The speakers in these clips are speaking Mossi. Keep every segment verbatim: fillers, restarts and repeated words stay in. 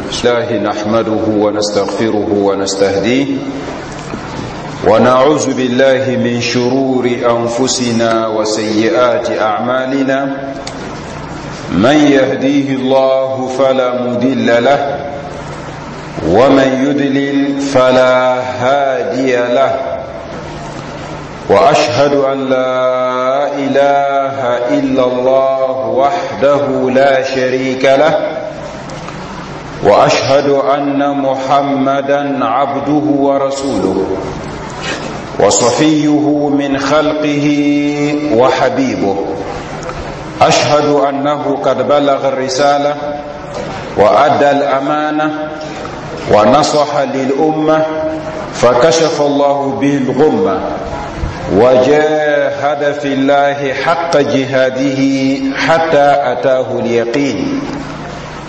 الله نحمده ونستغفره ونستهديه ونعوذ بالله من شرور أنفسنا وسيئات أعمالنا من يهديه الله فلا مدل له ومن يدلل فلا هادي له واشهد ان لا اله الا الله وحده لا شريك له واشهد ان محمدا عبده ورسوله وصفيه من خلقه وحبيبه اشهد انه قد بلغ الرساله وادى الامانه ونصح للامه فكشف الله به الغمه وجاهد في الله حق جهاده حتى اتاه اليقين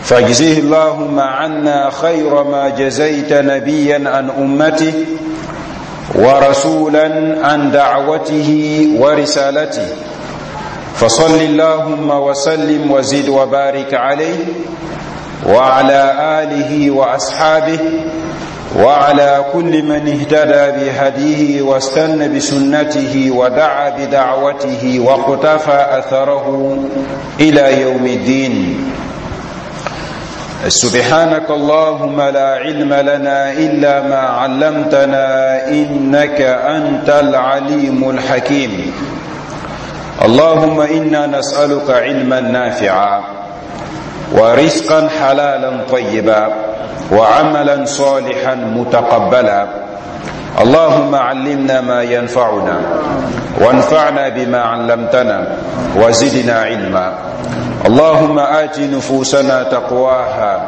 فاجزه اللهم عنا خير ما جزيت نبيا عن امته ورسولا عن دعوته ورسالته فصل اللهم وسلم وزد وبارك عليه وعلى اله واصحابه وعلى كل من اهتدى بهديه واستنى بسنته ودعا بدعوته واقتفى اثره الى يوم الدين سبحانك اللهم لا علم لنا الا ما علمتنا انك انت العليم الحكيم اللهم انا نسالك علما نافعا ورزقا حلالا طيبا وعملا صالحا متقبلا اللهم علمنا ما ينفعنا وانفعنا بما علمتنا وزدنا علما اللهم آت نفوسنا تقواها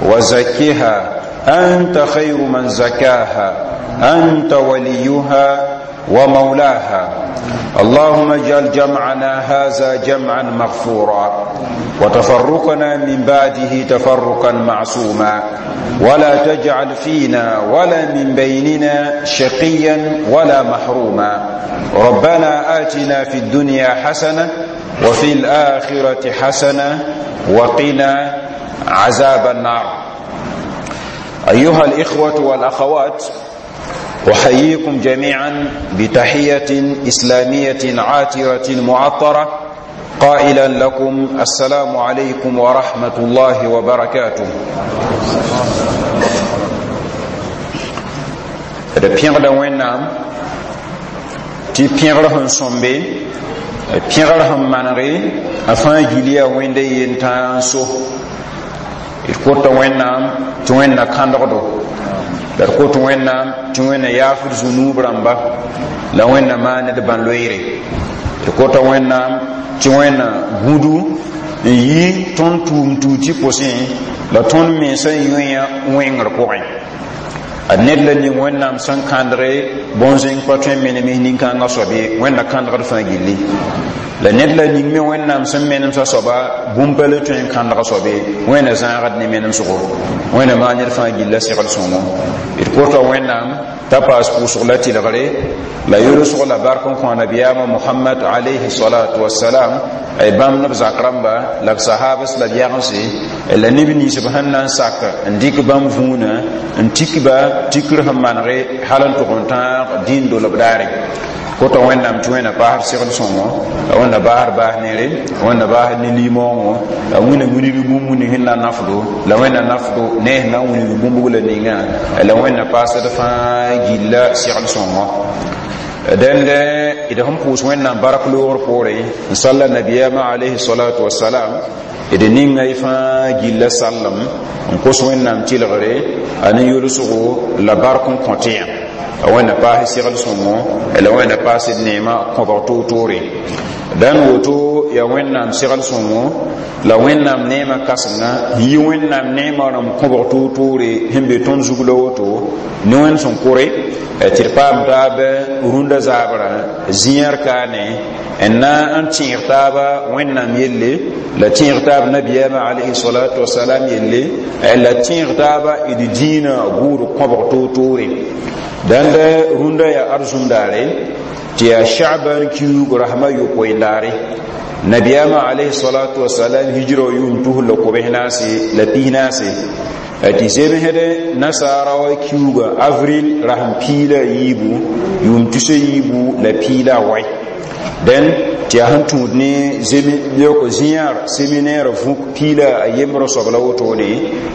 وزكها أنت خير من زكاها أنت وليها ومولاها اللهم اجعل جمعنا هذا جمعا مغفورا وتفرقنا من بعده تفرقا معصوما ولا تجعل فينا ولا من بيننا شقيا ولا محروما ربنا آتنا في الدنيا حسنه وفي الآخرة حسنة وقنا عذاب النار أيها الإخوة والأخوات أحييكم جميعا بتحية إسلامية عاترة معطرة قائلا لكم السلام عليكم ورحمة الله وبركاته d pẽgda wẽnnaam tɩ pẽgr sẽn sõmbe pẽgr sẽn manege a fãa gil yaa wẽnda yen tãa n so d kota wẽnnaam tɩ wẽnna kãndgdo la d kot wẽnnaam tɩ wẽnna yaafd zũnuub rãmba la wẽnna maan d bãn-loeere d kota wẽnnaam tɩ wẽnna gũdu n yi tõnd tʋʋm tuut pʋsẽ la tõnd mensã yõe wẽngr pʋgẽ ad ned la ning wẽnnaam sẽn kãndge bõn-zẽng pa tõe n menem nin-kãngã soab ye wẽnna kãndgd fãa gilli la ned la ning me wẽnnaam sẽn menemsã soaba bũmb pa le tõe n kãndg soab ye wẽnna zãagd ne menemsgo wẽnna maan ned fãa gilla segl sõngo d kota wẽnnaam t'a paas pʋʋsg la tɩlgre la yolsg la bark n kõ nabiyaamã mohamad alayhi salatu wasalam ay bãmb neb zak rãmba la b sahabs la b yagense la neb nins b sẽn na n sak n dɩk bãmb vũunã n tik ba tikr sẽn manege hal n tʋg n tãag dĩin dolb daare kota wẽnnaam tɩ wẽnna paasd segl sõngo la wẽnna baasd baas nere wẽnna baasd ne limoongo la wẽnna wilg bũmb ning sẽn na n nafdo la wẽnna nafdo ne sẽn na n wilg bũmb la ninga la wẽnna paasd fãa gilla segl sõngo dẽnd d sẽn pʋʋs wẽnnaam bark loogr poore n salla nabiyaamã alayhi salatu wasalam d ninga y fãa gilla sallem n kos wẽnnaam tɩlgre a ne yolsgo la bark n kõ tɩ yã a wẽnna paas segl sõngo la wẽnna paas d neemã kõbg toor-toore dãn woto yaa wẽnnaam segl sõngo la wẽnnaam neemã kãsenga n yi wẽnnaam neemã rãmb kõbg toor-toore sẽn be tõnd zug la woto ne wẽnd sẽn kore tɩ d paam taab rũndã zaabrã zĩyãr kaane n na n tẽeg taaba wẽnnaam yelle la tẽeg taab nabiyaamã alayhi salatu wasalam yelle la tẽeg taaba d dĩinã gʋʋd kõbg toor-toore dãnd rũndã yaa arzũm daare tɩ yaa sha'ban kiuug rasmã yopoe daare nabiyaamã alayhi salatu wasalam hijra yʋʋm tus la kobs naase la pis naase Tɩ zemsd nasaara wa kiuugã avril rasem piig la a yiibu, yʋʋm tus a yiibu la piig la a wai. Dẽn tɩ yaa sẽn tũud ne yoko zĩyaar séminaire vũk piig la a yembrã soab la wotone,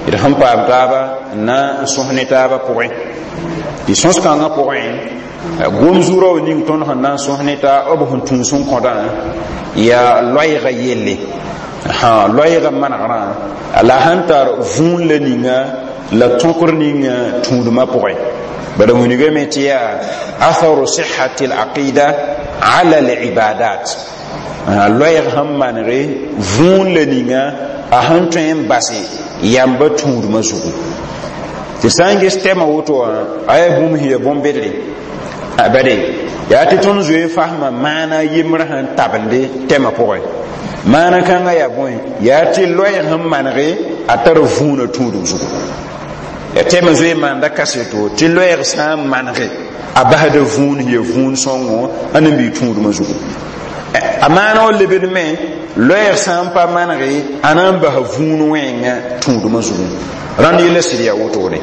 d sẽn paam taaba n na n sõs ne taabã pʋgẽ. Tɩ sõs-kãngã pʋgẽ, gom zuurã wa ning tõnd sẽn na n sõs ne taa b sẽn tũus n kõdã yaa loɛɛga yelle, loɛɛga manegrã la sẽn tar vũun la ninga la tõkr ninga tũudmã pʋgẽ. Bala wilgame tɩ yaa atharu sihati alaqida ala alibadat, loɛɛg sẽn manege vũun la ninga a sẽn tõe n base yamba tũudmã zugu. Tɩ sã n ges tɛmã woto wã, a yaa bũmb sẽn ya bõn-bedre bade yaa tɩ tõnd zoe fasmã maana yembrã sẽn tabende tɛmã pʋgẽ. Maana kãngã yaa bõe? Yaa tɩ loɛɛg sẽn manege a tar vũunã tũudum zugu. Ya tɛmã zoe maanda kaseto tɩ loɛɛg sã n manege a basda vũun sẽn ya vũun sõngo a ne n bɩ tũudmã zugu. A maana wa lebd me, loɛɛg sã n pa manege a na n basa vũun wẽnga tũudmã zugu. Rãnd yella sɩd yaa wotone.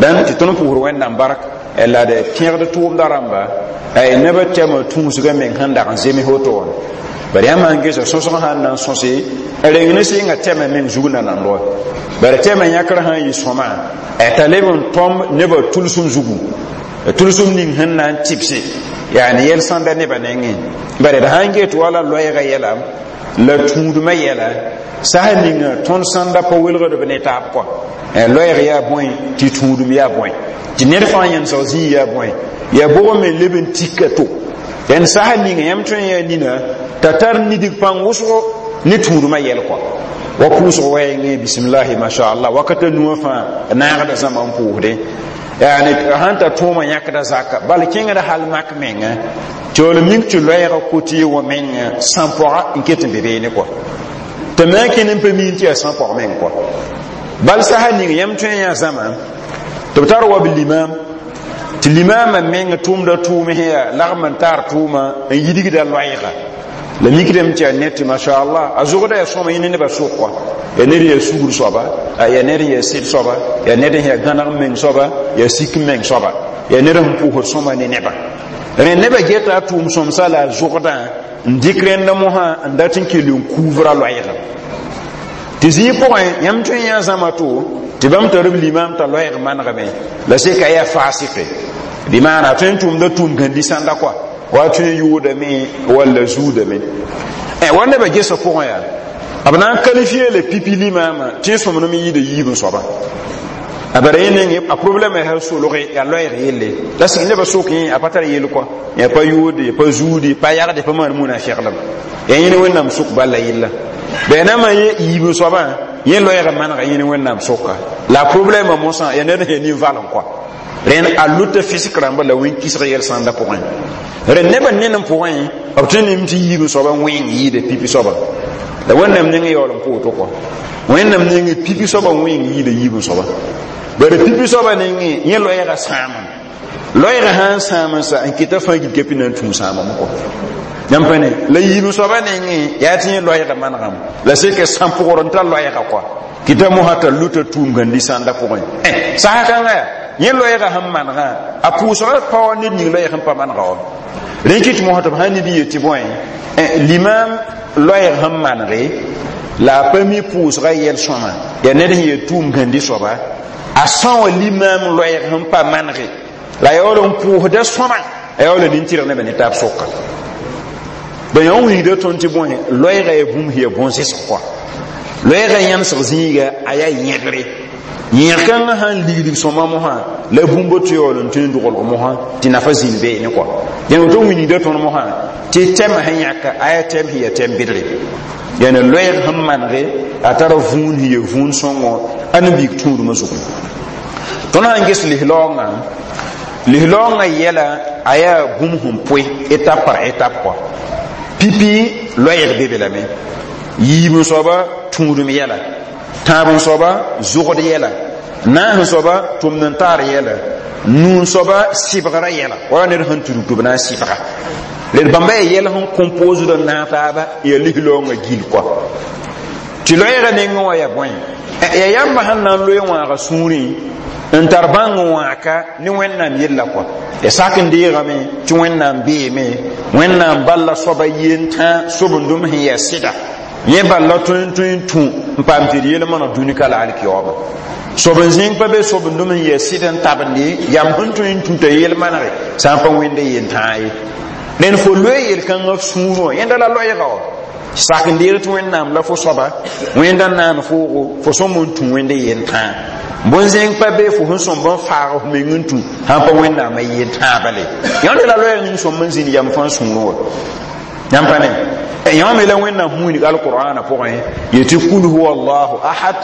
Dãn tɩ tõnd pʋʋsd Wẽnnaam bark la d pẽgd tʋʋmda rãmba nebã tɛmã tũusgã meng sẽn dag n zems woto wã. Bari yãmb sãn gesa sõsg sãn na n sõse reng ne sɩnga tɛmã meng zug nanand wa, bari tɛmã yãkr sãn yɩ sõma t'a leb n tõm nebã tʋlsem zugu, tʋlsem ning sẽn na n tɩbse yaani yɛl sãnda nebã nengẽ. Bari d sãn get wala loɛɛgã yɛla la tũudmã yɛla sas ninga tõnd sãnda pa welgd b ne taab kɔa. Loɛɛg yaa bõe, tɩ tũudum yaa bõe, tɩ ned fãa yẽnsg zĩig yaa bõe, yaa bʋg me leb n tika to. Dẽn sas ninga yãmb tõe n yaa nina t'a tar nidig pãng wʋsgo ne tũudmã yɛl kɔa. Wa pʋʋsg wɛɛngẽ, bisimilahi mashallah, wakata nuwã fãa naagda zãma n pʋʋsdẽ, yaani sãn ta tõomã yãkda zaka bal kẽngda hal mak menga tɩ wall mik tɩ loɛɛga kote wa menga sãn-pɔga n ket n be beene kɔa, tɩ me a kẽnd n pa miin tɩ yaa sãn-pɔg meng kɔa. Bal sasa ning yãmb tõe n yaa zãma tɩ b tar wa b limam, tɩ limaamã meng tʋʋmda tʋʋm sẽn yaa lagm n taar tʋʋma n yidgda loɛɛga la mikdame tɩ yaa ned tɩ mashallah a zʋgda yaa sõma yẽ ne nebã sʋk kɔa, yaa ned yaa sugr soaba, yaa ned yaa sɩd soaba, yaa ned yaa gãneg meng soaba, yaa sik meng soaba, yaa ned sẽn pʋʋsd sõma ne nebã. Rẽ nebã geta a tʋʋm sõmsa la a zʋgdã n dɩk rẽnd mosã n dat n kell n kuuvra loɛɛga. Tɩ zĩig pʋgẽ yãmb tõe n yã zãma to tɩ bãmb tar b limam t'a loɛɛg manegame la seka yaa fasɩke, bɩ maana a tõe n tʋmda tʋʋm gãndi sãnda kɔa, wa tõe n yʋʋdame walla zuudame wa nebã gesã pʋgẽ yaa b na n qualifier le pipi limaamã tɩ sõmnem yɩɩda yiib n soaba. A bara yẽ neng a problème yaa solge yaa loɛɛg yelle la sɩg nebã sok yẽ a pa tar yel kɔa, yaa pa yʋʋde, pa zuude, pa yagde, pa maan munafɩglem, yaa yẽ ne Wẽnnaam sʋk balla yella bɩ nãmã yẽ yiib n soabã yẽ loɛɛga manega yẽ ne Wẽnnaam sʋka la problème mosã yaa ned sẽn yaa nin-valem kɔa. Rẽnd a luta fisk rãmba la wẽn-kisg yɛl sãnda pʋgẽ. Rẽnd nebã ned n pʋgẽ b tõe nem tɩ yiib n soaba wẽng yɩɩda pipi soaba la Wẽnnaam neng yaool n pʋʋto kɔa. Wẽnnaam neng pipi soaba wẽng yɩɩda yiib n soaba, bari pipi soaba nengẽ yẽ loɛɛga sãamem, loɛɛga sã n sãam n sa n kɩta fãa gil kepi na n tũu sãamame kɔa. Yãmb pa ne la yiib soaba nengẽ yaa tɩ yẽ loɛɛga manegame la seka sãn-pʋgr n tar loɛɛga kɔa, kɩta mosã t'a luta tũum gãndi sãnda pʋgẽ. Sasa kãngã yaa yẽ loɛɛga sẽn manegã a pʋʋsga pa wa ned ning loɛɛg sẽn pa manega wa. Rẽ kɩt mosã tɩ b sãn ned yet tɩ bõe, limam loɛɛg sẽn manege la a pa mi pʋʋsga yɛl sõma, yaa ned sẽn yaa tũum gãndi soaba a são wa limam loɛɛg sẽn pa manege la yaool n pʋʋsda sõma, a yaool n nin-tɩrg nebã ne taab sʋka. Ba yã wilgda tõnd tɩ bõe, loɛɛga yaa bũmb sẽn yaa bõn-zẽsg kɔa. Loɛɛga yãmsg zĩiga a yaa yẽgre, yẽg kãngã sãn ligdig sõma mosã la bũmb tɩ yaool n tõe n dogelg mosã tɩ nafa zĩnd beene kɔa. Dẽn woto wilgda tõnd mosã tɩ tɛmã sẽn yãka a yaa tɛm sẽn yaa tɛm bedre, yaani loɛɛg sẽn manege a tara vũun sẽn yaa vũun sõngo a ne biig tũudmã zugu. Tõnd sãn ges lislaoongã, lislaoongã yɛla a yaa bũmb sẽn pʋɩ étape par étape kɔa. Pipi loɛɛg be be lame, yiib n soaba tũudum yɛla, tãab n soaba zʋgd yɛla, naas n soaba tʋmd n taar yɛla, nuu n soaba sɩbgrã yɛla wala ned sẽn tudg tɩ b na n sɩbga. Led bãmba yaa yɛl sẽn composed n naag taaba yaa lislaoongã gil kɔa. Tɩ loɛɛgã nengẽ wã yaa bõe? Ya yãmba sẽn na n loe wãaga sũurẽ n tar bãng wãaka ne Wẽnnaam yella kɔa. Ya sak n deegame tɩ Wẽnnaam beeme, Wẽnnaam bal la soaba yentã sobendem sẽn yaa sɩda, yẽ bal la tõe n tõe n tũ n paam tɩ d yel-maneg dũni ka la alkiyaoobã. Sob n zĩng pa be sobendem n yaa sɩd n tabende yam sẽn tõe n tũ t'a yel-manege sã n pa Wẽnda yentãa ye. Rẽnd fo loe yel-kãngã f sũur wã, yẽnda la loɛɛga wã. Sak n deeg tɩ Wẽnnaam la fo soaba, Wẽnda naan foogo, fo sõm n tũ Wẽnda yentãa. Bõn-zẽng pa be fo sẽn sõmb n faag f meng n tũ sãn pa Wẽnnaamã yentãa bale. Yãmb la loɛɛg ning sõmb n zĩnd yam fãa sũurẽ wã. Yãmb pa ne yãmb me la Wẽnnaam wilg alqur'ana pʋgẽ yetɩ: kul huwa Allahu ahad,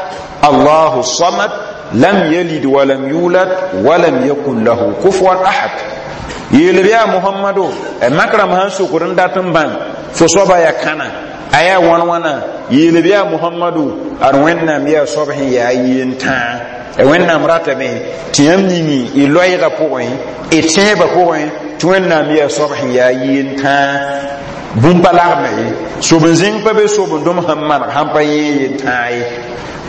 Allahu samad, lam yalid walam yulad walam yakun lahu kufuwan ahad. Yeel b yaa Mohamado, mak rãmb sãn sokd n dat n bãng fo soaba yaa kãna, a yaa wãn wãna, yeel b yaa Mohamado, ad Wẽnnaam yaa soab sẽn yaa yentãa. Wẽnnaam ratame tɩ yãmb ningi y loɛɛgã pʋgẽ, y tẽebã pʋgẽ, tɩ Wẽnnaam yaa soab sẽn yaa yentãa. Bũmb pa lagme ye, sob n zĩng pa be sobendem sẽn maneg sãn pa yẽ yentãa ye.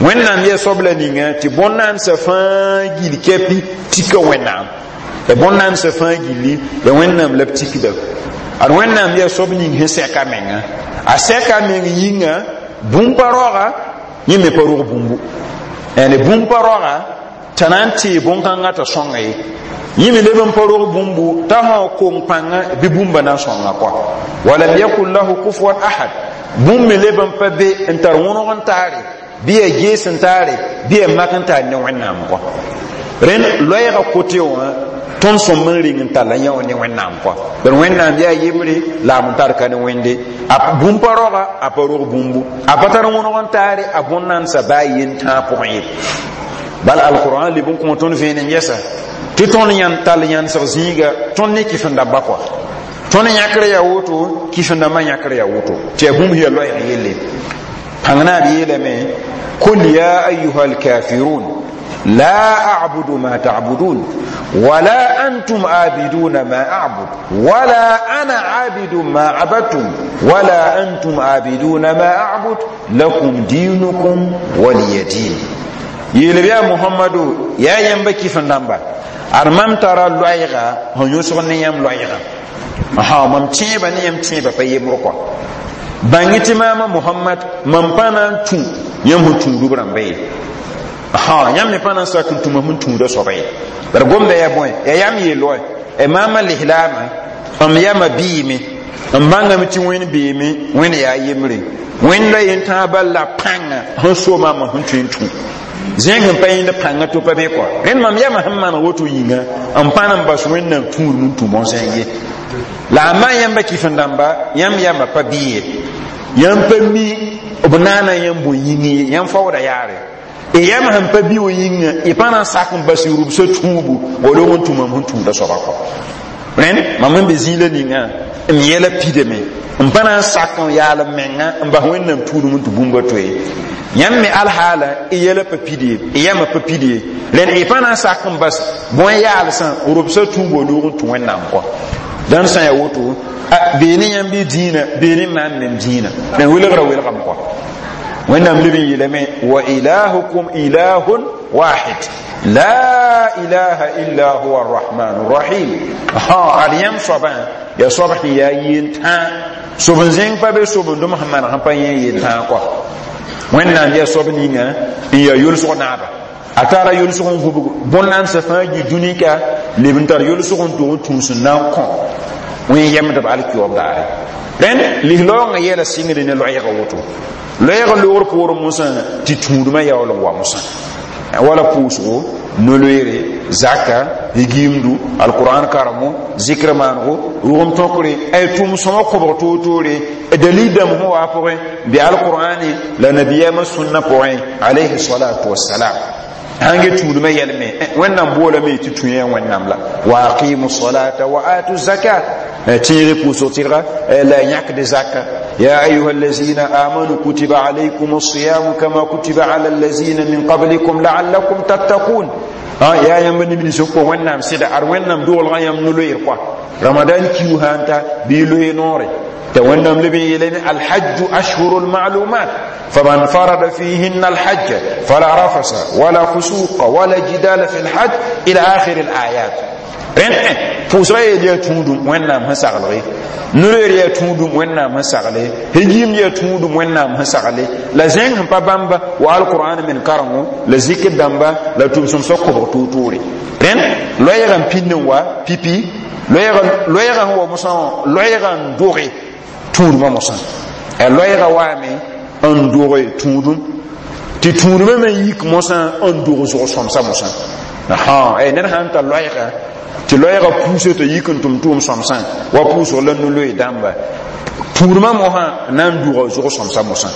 Wẽnnaam yaa soab la ninga tɩ bõn-naandsã fãa gil kɛpi tika Wẽnnaam. Ya bõn-naandsã fãa gilli ya Wẽnnaam la b tikda. Ad Wẽnnaam yaa soab ning sẽn sɛka menga, a sɛka meng yĩnga bũmb pa roaga, yẽ me pa rog bũmbu. Yani bũmb pa roaga t'a na n tee bõn-kãngã t'a sõnga ye, yẽ me leb n pa rog bũmbu t'a sã kong pãnga bɩ bũmba na n sõnga kɔa. Walam yakun lahu kufuwan ahad. Bũmb me leb n pa be n tar wõneg n taare, bɩ ya gees n taare, bɩ ya mak n taar ne Wẽnnaam kɔa. Rẽnd loɛɛgã kote wã tõnd sõmb n ring n talla yã wã ne Wẽnnaam kɔa. Bad Wẽnnaam yaa yembre la a n tar ka ne Wẽnde. A bũmb pa roaga, a pa rog bũmbu, a pa tar wõneg n taare, a bõn-naandsã baa yentãag pʋgẽ ye. Bal alqur'an leb n kõ tõnd vẽenem yɛsa tɩ tõnd yãn tall yãnsg zĩiga, tõnd ne kɩfendãmba kɔa. Tõnd yãkr yaa woto, kɩfendãmbã yãkr yaa woto, tɩ yaa bũmb yaa loɛɛg yelle. Pãng naab yeelame: kul ya ayuha alkafirun la a'budu ma ta'budun wala antum abiduna ma a'bud wala ana abidu ma abadtum wala antum abiduna ma a'bud lakum dinukum waliya din. Yeel b yaa Mohamado, yaa yãmba kɩfendãmba, ad mam tara loɛɛga sẽn yõsg ne yãmb loɛɛga, ha mam tẽebã ne yãmb tẽebã pa yembr kɔa. Bãng tɩ maama Mohamad, mam pa na n tũ yãmb sẽn tũud b rãmba ye, ha yãmb me pa na n sak n tũma sẽn tũuda soaba ye. Bara gomda yaa bõe? Yaa yam yeel-wã y maama lislaamã m yama biime n bãngame tɩ Wẽnd beeme, Wẽnd yaa yembre, Wẽnd la yentãag bal la pãnga sẽn so maama sẽn tõe n tũ zẽng sẽn pa yẽnd pãnga to pa be kɔa. Rẽnd mam yama sẽn maan woto yĩnga n pa na n bas Wẽnnaam tũudm n tũ bõn-zẽng ye. La a ma yãmba kɩfendãmba, yãmb yamba pa bɩ ye, yãmb pa mi b naana yãmb bõe yĩng ye, yãmb faooda yaare y yam sẽn pa bi wa yĩnga, y pa na n sak n bas y rubsã tũubu wa log n tũ mam sẽn tũuda soaba kɔ. Rẽnd mam sẽn be zĩila ninga m yɛla pidame, n pa na n sak n yaal n menga n bas Wẽnnaam tũudum n tɩ bũmba toe. Yãmb me alhaala y yɛla pa pid ye, y yãmba pa pid ye. Rẽnd y pa na n sak n bas bõe yaalsã rubsã tũubu wa loog n tũ Wẽnnaam kɔ. Dãn sã yaa woto, bee ne yãmb y dĩinã, bee ne maam mem dĩinã, rẽnd welgra welgame kɔ. Wẽnnaam leb n yeelame: wa ilahukum ilahun wahid, la ilaha illa huwa arrahmanu rrahim. Ha ad yãmb soabã yaa soab sẽn yaa yentãa, sob n zẽng pa be sobendem sẽn maneg sẽn pa yẽ yentãa kɔa. Wẽnnaam yaa soab ninga n yaa yolsg naaba, a tara yolsg n gũbg bõn-naandsã fãa gi dũnika, leb n tar yolsg n tog n tũus n na n kõ wẽn yemdb alkioob daare. Rẽnd lislaoongã yɛla sɩngde ne loɛɛga woto. Loɛɛga loogr poorẽ mosã tɩ tũudmã yaool n wa mosã wala pʋʋsgo, no-loeere, zaka, gimdu, alquran karemo, zikr maanego, rʋgem tõkre, ay tʋʋm sõma kõbg toor-toore. Dalil dãmb sẽn waa pʋgẽ bɩ alqur'ane la nabiyamã sũnna pʋgẽ alayhi salatu wassalam. Sãn ge tũudmã yɛlme, Wẽnnaam boolame tɩ tũ yã Wẽnnaam la wa aqimu salata wa atu zakat, tẽeg pʋʋsg tɩrga la yãkd zaka. يا أيها الذين آمنوا كتب عليكم الصيام كما كتب على الذين من قبلكم لعلكم تتقون. Yaa yãmb neb nins n kõ Wẽnnaam sɩda, ad Wẽnnaam doolgã yãmb no-loeer kɔa Ramadan kiu sã n ta bɩ y loe noore t'a Wẽnnaam leb n yeelame: alhajju ashhuru lmalumat, faman farada fihinna alhajj fala rafasa wala fusuqa wala jidala fi lhajj, ila akhiri alayat. Rẽnd pʋʋsga yeel yaa tũudum Wẽnnaam sẽn saglge, no-loeer yaa tũudum Wẽnnaam sẽn sagle, hengim yaa tũudum Wẽnnaam sẽn sagle, la zẽng sẽn pa bãmba wa alqur'an men karengo la zikr dãmba la tʋm-sõmsã kobg toor-toore. Rẽnd loɛɛgã n pĩnd n wa pipi, loɛɛgã sẽn wa mosã wã, loɛɛgã n doge tũudmã mosã. A loɛɛgã waame n doge tũudum tɩ tũudmã me yik mosã n dog zʋg-sõmsã mosã. Ned sãn ta loɛɛga tɩ loɛɛgã puusã t'a yik n tʋm tʋʋm sõmsã wa pʋʋsg la no-loe dãmba, tũudmã mosã na n duga zʋg-sõmsã mosã.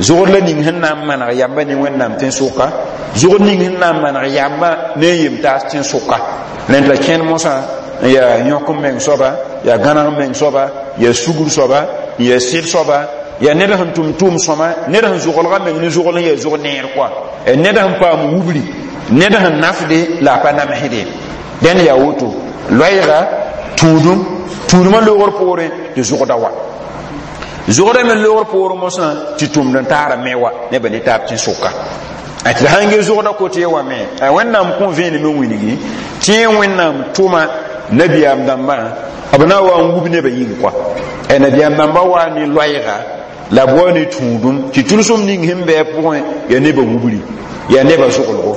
Zʋgd la ning sẽn na n maneg yamba ne Wẽnnaam tẽn-sʋka, zʋgd ning sẽn na n maneg yamba ne n yem taas tẽn-sʋka. Rẽnd la kẽnd mosã n yaa yõk n meng soaba, yaa gãneg meng soaba, yaa sugr soaba, n yaa sɩd soaba, yaa ned sẽn tʋm tʋʋm sõma, ned sẽn zʋglga meng ne zʋgl n yaa zʋg neer kɔa, ned sẽn paam wubri, ned sẽn nafde la a pa namsde. Dẽnd yaa woto loɛɛga tũudum, tũudmã loogr poorẽ tɩ zʋgda wa, zʋgda me loogr poorẽ mosã tɩ tʋmd n taara me wa nebã ne taab tẽn-sʋka. Tɩ sãn ge zʋgda kote wa me, Wẽnnaam kõ vẽenem n wilgi tɩ yẽ Wẽnnaam tʋma nabiyaam dãmbã b na n wa n wub nebã yĩng kɔa. Nabiyaam dãmbã waa ne loɛɛga la b wa ne tũudum tɩ tʋlsem ning sẽn bɩ a pʋgẽ yaa nebã wubri, yaa nebã zʋglgo wa.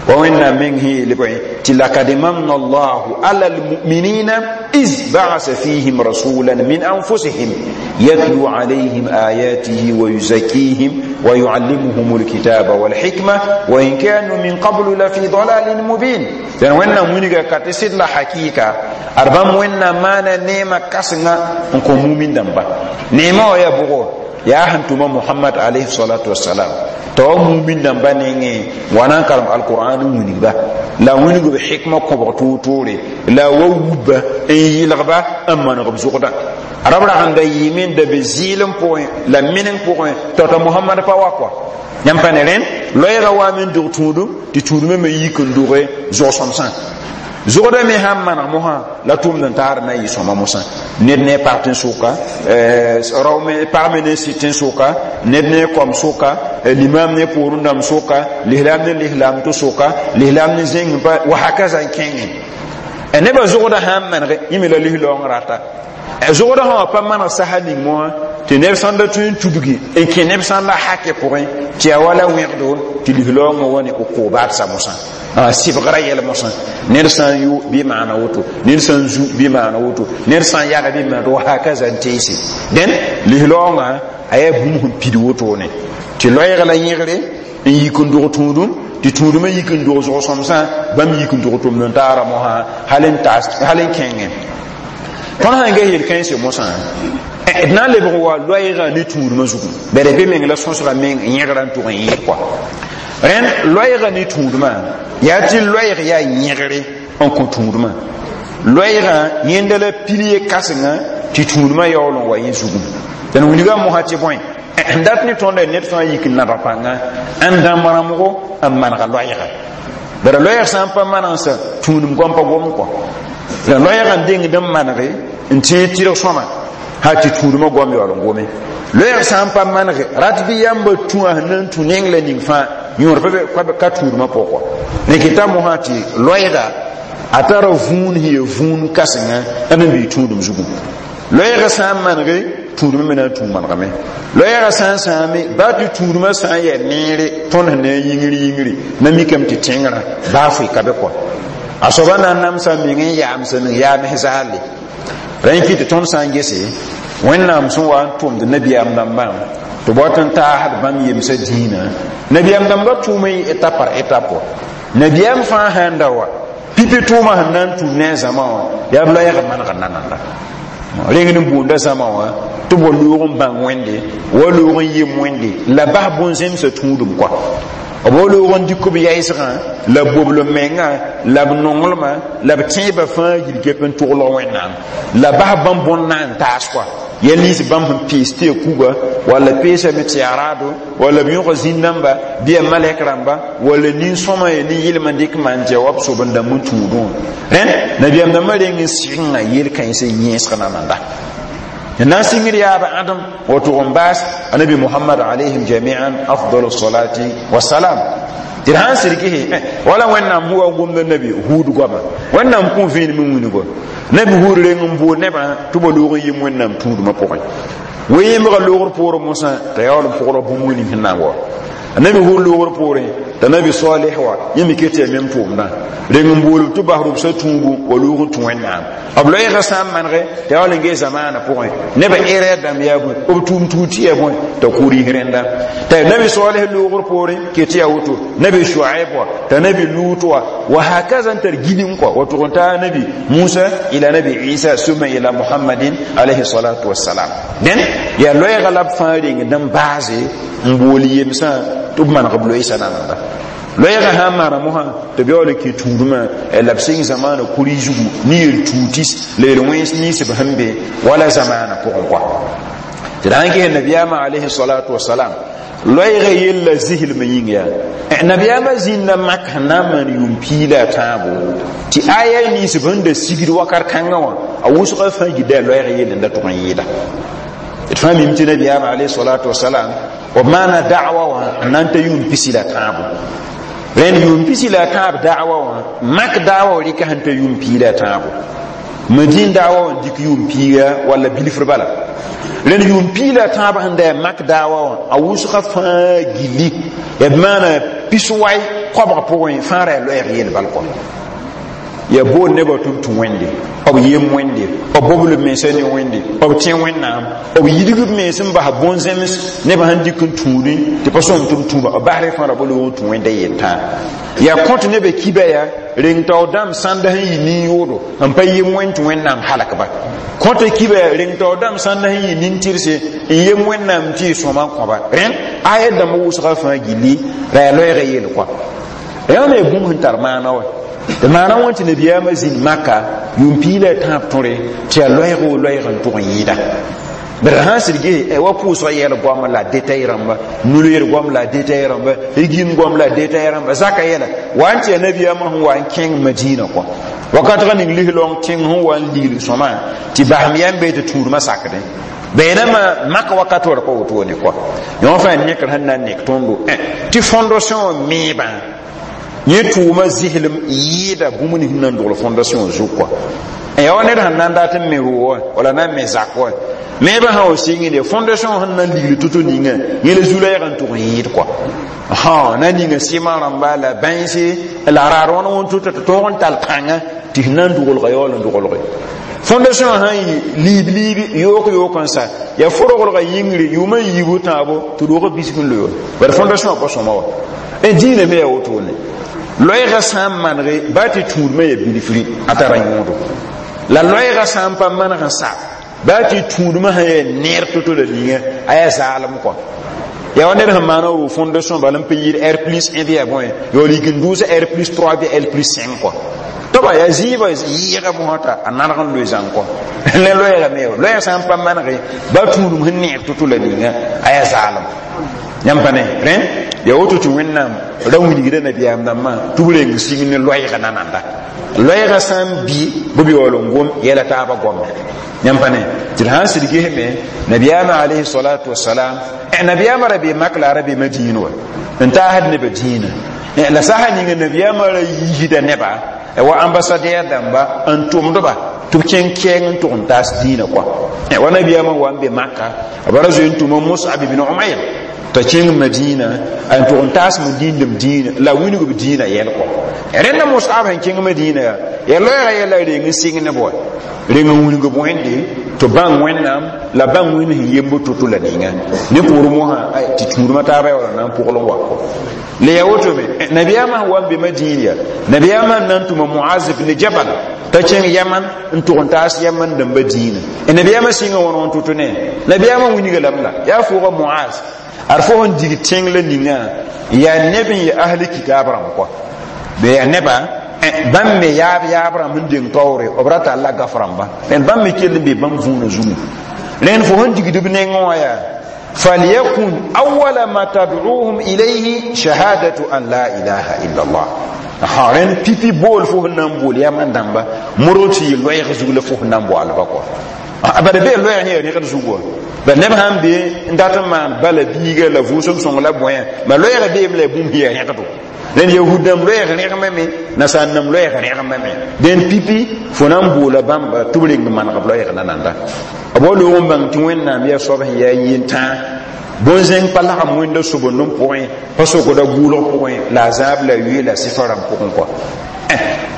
Wẽnnaam meng sẽn yeel bõe tɩ lakad manna Allahu ala almuminina iz ba'asa fihim rasulan min anfusihim yatlu alayhim ayatihi wa yuzakkihim wa yuallimuhum alkitaba walhikma wa in kanu min qablu la fi dalalin mubin. Dẽn Wẽnnaam wilga ka tɩ sɩd la hakɩɩka ad bãmb Wẽnnaam maana neemã kãsenga n kõ mumin dãmba. Neemã wã yaa bʋgo? Yaa sẽn tʋma Mohamad alayhi salatu wasalam t'a wa mumin dãmba nengẽ wa na n karem alqur'an n wilgba la wilg b hikma kõbg toor-toore la wa wubba n yɩlgba n maneg b zʋgdã rab rag n da yɩɩme n da be zɩɩlem pʋgẽ la meneng pʋgẽ tao-tao Mohamad pa wa kɔa. Yãmb pa ne rẽnd loɛɛgã waame n dog tũudum tɩ tũudmã me yik n doge zʋg-sõmsã. Zʋgda me sãn maneg mosã la tʋmd n taar na n yɩ sõma mosã, ned ne pag tẽn-sʋka, rao me pag me ne sɩd tẽn-sʋka, ned ne kom sʋka, limam ne poorẽ dãmb sʋka, lislaam ne lislaam to sʋka, lislaam ne zẽng pa wa hakaza n kẽngẽ. Nebã zʋgda sãn manege yẽ me la lislaoong rata. Zʋgda sã wã pa maneg sasa ning mosã tɩ neb sãn da tõe n tudgi n kẽ neb sãn la hakɛ pʋgẽ tɩ yaa wala wẽgdo tɩ lislaoongã wa ne uqubat sa mosã, sɩbgra yɛl mosã. Ned sã n yʋ bɩ maana woto, ned sã n zu bɩ maana woto, ned sã n yaga bɩ maana wa hakaza n teese. Dẽn lislaoongã a yaa bũmb sẽn pid wotone tɩ loɛɛg la yẽgre n yik n dog tũudum, tɩ tũudmã yik n dog zʋg-sõmsã, bãmb yik n dog tʋmd n taara mosã hal n kẽngẽ. Tõnd sãn ges yel-kãense mosã, d na n lebg wa loɛɛgã ne tũudmã zugu bala be meng la sõsga meng yẽgrã n tʋg n yẽ kɔa. Rẽnd loɛɛgã ne tũudmã yaa tɩ loɛɛg yaa yẽgre n kõ tũudmã, loɛɛgã yẽnda la pilier kãsenga tɩ tũudmã yaool n wa yẽ zugum. Dẽn wilga mosã tɩ bõe n dat ne tõnda ned fãa yik n nadg pãnga n dãmb rãmbgo n manega loɛɛga bara loɛɛg sã n pa manegsa tũudum goam pa gom kɔ. La loɛɛgã n dengd n manege n tẽeg tɩrg sõma ha tɩ tũudmã goam yaool n gome. Loɛɛg sã n pa manege rat bɩ yãmba tũa sẽn na n tũ neng la ning fãa yõor pa ka tũudmã pʋgɔ. Rẽ kɩta mosã tɩ loɛɛga a tara vũun sẽn yaa vũun kãsenga b n bɩ tũudum zugu. Loɛɛgã sã n manege, tũudmã me na n tũ manegame. Loɛɛgã sã n sãame baa tɩ tũudmã sã n yaa neere, tõnd sẽn na n yĩngr yĩngri na mikame tɩ tẽngrã baa foe ka be kɔa a soaba na n namsa meng n yaamsa meng yaams zaalle. Rẽ kɩ tɩ tõnd sã n gese Wẽnnaam sẽn wa n tʋmd nabiyaam dãmbã tɩ b wat n taasd bãmb yemsã dĩinã, nabiyaam dãmbã tʋʋm n étape par étape wa. Nabiyaam fãa sãn da wa pipi tʋʋmã sẽn na n tũud ne a zãma wã yaa b loɛɛg maneg nananda reng n boonda zãma wã tɩ b wa loog n bãng Wẽnde wa loog n yem Wẽnde la bas bõn-zẽmsã tũudum kɔa. B loog n dɩk b yaɩsgã la b bobl menga la b nonglmã la b tẽebã fãa yil gep n tʋglg Wẽnnaam la bas bãmb bõn na n taas kɔa yɛl nins bãmb sẽn pees tɩ ya kuga walla peesame tɩ yaa raado walla b yõga zĩn-dãmba bɩ ya malɛk rãmba walla nin-sõma ya nin-yɩlm n dɩk maan tɩ ya wa b sob n dãmb n tũudẽ wã rẽnd nabiyaam dãmbã reng n sɩgenga yel-kãensã yẽesg nananda na n sɩngd yaaba ãdem wa tʋg n baas anabi Muhammad alayhim jamian afdalu salati wasalam tɩ d sãn sɩd gese wala Wẽnnaam sẽn wa n gomda nabi Huud goama Wẽnnaam kõ vẽenem n wilgo nabi Huud reng n bool nebã tɩ ba loog n yem Wẽnnaam tũudmã pʋgẽ we-yẽmbga loogr poorẽ mosã t'a yaool n pʋgd bũmb ning sẽn na n wa nabi Hud loogr poorẽ t'a nabi Saleh wa yẽ me ket tɩ yaa mem tʋʋmdã reng n bool tɩ bas rʋbsã tũubu wa loog n tũ Wẽnnaam b loɛɛgã sã n mange t'a yaool n gee zamaanã pʋgẽ nebã erɛr dãmb yaa bõe b tʋʋm tuud tɩ yaa bõe t'a kʋr yis rẽnda t'a nabi Saleh loogr poorẽ ket tɩ yaa woto nabi Shuaib wa t'a nabi Lut wa wa hakaza n tar gilem kɔa wa tʋg n taa nabi Musa ila nabi Isa summa ila Muhammadin alayhi salatu wassalam dẽn yaa loɛɛga la b fãa reng n baase n bool yemsã tɩ b maneg b loeesa nananda loɛɛgã sã n maana mosã tɩ b yaool n kẽ tũudmã la b sɩng zamaana kuri zugu ne yel-tuutis la yel-wẽns nins b sẽn be wala zamaana pʋgẽ kɔa tɩ d sãn ges nabiyaamã alayhi salatu wasalam loɛɛgã yella zislmã yĩng yaa nabiyaamã zĩnda mak sẽn na n maan yʋʋm piig la a tãabo tɩ aya nins b sẽn da sigd wakat kãngã wã a wʋsgã fãa gilda yaa loɛɛgã yell n da tʋg n yɩɩda d fãa mim tɩ nabiyaamã alayhi salatu wasalam b maana da'wa wã n na n ta yʋʋm pisi la tãabo rẽnd yʋʋm pisi la tãab da'wa wã mak da'wa wã rɩka sẽn ta yʋʋm piig la tãabo Madin da'wa wã dɩk yʋʋm piiga walla bilfr bala rẽnd yʋʋm piig la tãab sẽn da yaa mak da'wa wã a wʋsga fãa gilli b maana pis-wai koabg pʋgẽ fãa ra yaa loɛɛg yel bal kɔ ya bool nebã tɩ b tũ Wẽnde b yem Wẽnde b bobl b mensã ne Wẽnde b tẽ Wẽnnaam b yidg b mens n bas bõn-zẽms nebã sẽn dɩk n tũudẽ tɩ pa sõm tɩ b tũuba b basrẽ fãa ra ba loog n tũ Wẽnda yel-tãa yaa kõt nebã kiba yaa reng taoor dãmb sãnda sẽn yɩ nin-yoodo n pa yem Wẽnd tɩ Wẽnnaam halkba kõta kiba yaa reng taoor dãmb sãnda sẽn yɩ nin-tɩrse n yem Wẽnnaam tɩ y sõma n kõba rẽnd aya dãmb wʋsga fãa gilli ra yaa loɛɛgã yel kɔa yaa me bũmb sẽn tar maana wa tɩ maana wã tɩ nabiyaamã zĩnd maka yʋʋm piig la tãab tõre tɩ yaa loɛɛg o loɛɛg n tʋg n yɩɩda bala sãn sɩd ges wa pʋʋsga yɛl goam la detay rãmba nuleer goam la detay rãmba rigim goam la detay rãmba zaka yɛla wa n tɩ yaa nabiyaamã sẽn wa n kẽng Madina kɔ wakatga ning lislong tẽng sẽn wa n ligl sõma tɩ basem yam bee tɩ tũudmã sakdẽ beenama maka wakat wã pa wotone kɔ yõ fãa nekr sẽn na n nek tõndo tɩ fondation meebã yẽ tʋʋma zislem yɩɩda bũmb nins na n dogl fondation zug kɔa ya wa ned sẽn na n dat n me roo wã wala na n me zak wã meebã sã wa sɩngde fondation sẽn na n ligl to-to ninga yẽ la zu-la n tʋg n yɩɩd kɔa ha na ninga sɩma rãmba la bãense la raad wãn wẽn to tɩ tõog n tall kãnga tɩ sẽn na n dogelga yaool n dogelge fondation sã n yɩ liib liibi yook yook n sa yaa foroglga yĩngre yʋʋmã n yiibu tãabo tɩ roogã bisg n loe wa bara fondation wã pa sõma wa dĩinã me yaa wotone loɛɛgã sã n manege baa tɩ tũudmã yaa bilfri a tara yõodo la loɛɛgã sã n pa maneg n sa baa tɩ tũudmã sã yaa neer to-to la ninga a yaa zaalem kɔ yaa wa ned sẽn maana roo fondation bala n pa yɩɩd R plus un bɩ yaa bõe yaool yik n dʋʋsa R plus trois bɩ L plus cinq kɔ toba yaa zɩɩbã yɩɩga mosã t'a a naneg n loe zãng kɔ la loɛɛga me loɛɛg sã n pa manege baa tũudum sẽn neeg to-to la ninga a yaa zaalem yãmb pa ne rẽ yaa woto tɩ Wẽnnaam ra wilgda nabiyaam dãmbã tɩ b reng sig ne loɛɛga nananda loɛɛga sã n bɩ bɩ b yaool n gom yɛla taabã goama yãmb pa ne tɩ d sãn sɩd gesme nabiyaamã alayhi salatu wasalam nabiyaamã ra bee mak la a ra bee Madiin wa n taasd nebã dĩinã la sasa ninga nabiyaamã ra yiisda neba wa ambassadeur dãmba n tʋmdba tɩ b kẽng kɛɛng n tʋg n taas dĩinã kɔa wa nabiyaamã wa n be Maka b ra zoe n tʋma Musab ibn Umayr t'a kẽng Madina n tʋg n taas Madĩndem dĩinã la wilg b dĩinã yɛl kɔ rẽnda Musab sẽn kẽng Madina yaa yaa loɛɛgã yɛla reng n sɩng neb wa reng n wilg b Wẽnde tɩ bãng Wẽnnaam la bãng Wẽnd sẽn yemb to-to la ninga ne poor mosã tɩ tũudmã taabã yaa wala na n pʋgl n wa kɔ la yaa woto me nabiyaamã sẽn wa n be Madin yaa nabiyaamã n na n tʋma Muaz ibn Jabal t'a kẽng Yaman n tʋg n taas Yaman dãmbã dĩinã nabiyaamã sɩnga wãn wãn to-to ne nabiyaamã wilga lame la yaa fʋʋga Muaz Ad fo sẽn dig tẽng la ninga yaa neb n yɩ ahli kitaab rãmb kɔa be yaa neba bãmb me yaab yaab rãmb n deng taoore b ra talla gaf rãmba rẽnd bãmb me kell n be bãmb vũuna zugu rẽnd fo sẽn digd b nengẽ wã yaa فليكن أول ما تدعوهم إليه شهادة أن لا إله إلا الله rẽnd pipi bool fo sẽn na n bool yaa man dãmba modg tɩ yɩ loɛɛg zug la fo sẽn na n boalba kɔa bala bee loɛɛg yẽ yaa rẽgd zug wã ba neb sãn be n dat n maan bala biiga la vʋʋsem sõng la bõe ma loɛɛg beem la bũmb yaa rẽgdo rẽnd yahud dãmb loɛɛg rẽgmame nasaar dãmb loɛɛg rẽgmame dẽn pipi fo na n boola bãmba tɩ b reng maneg b loɛɛg nananda b wa loog n bãng tɩ wẽnnaam yaa soab sẽn yaa yentãag bõn-zẽng pa lagem wẽnda sobendem pʋgẽ pa sokda gʋʋlg pʋgẽ la a zaab la yoe la sɩfa rãmb pʋgẽ kɔa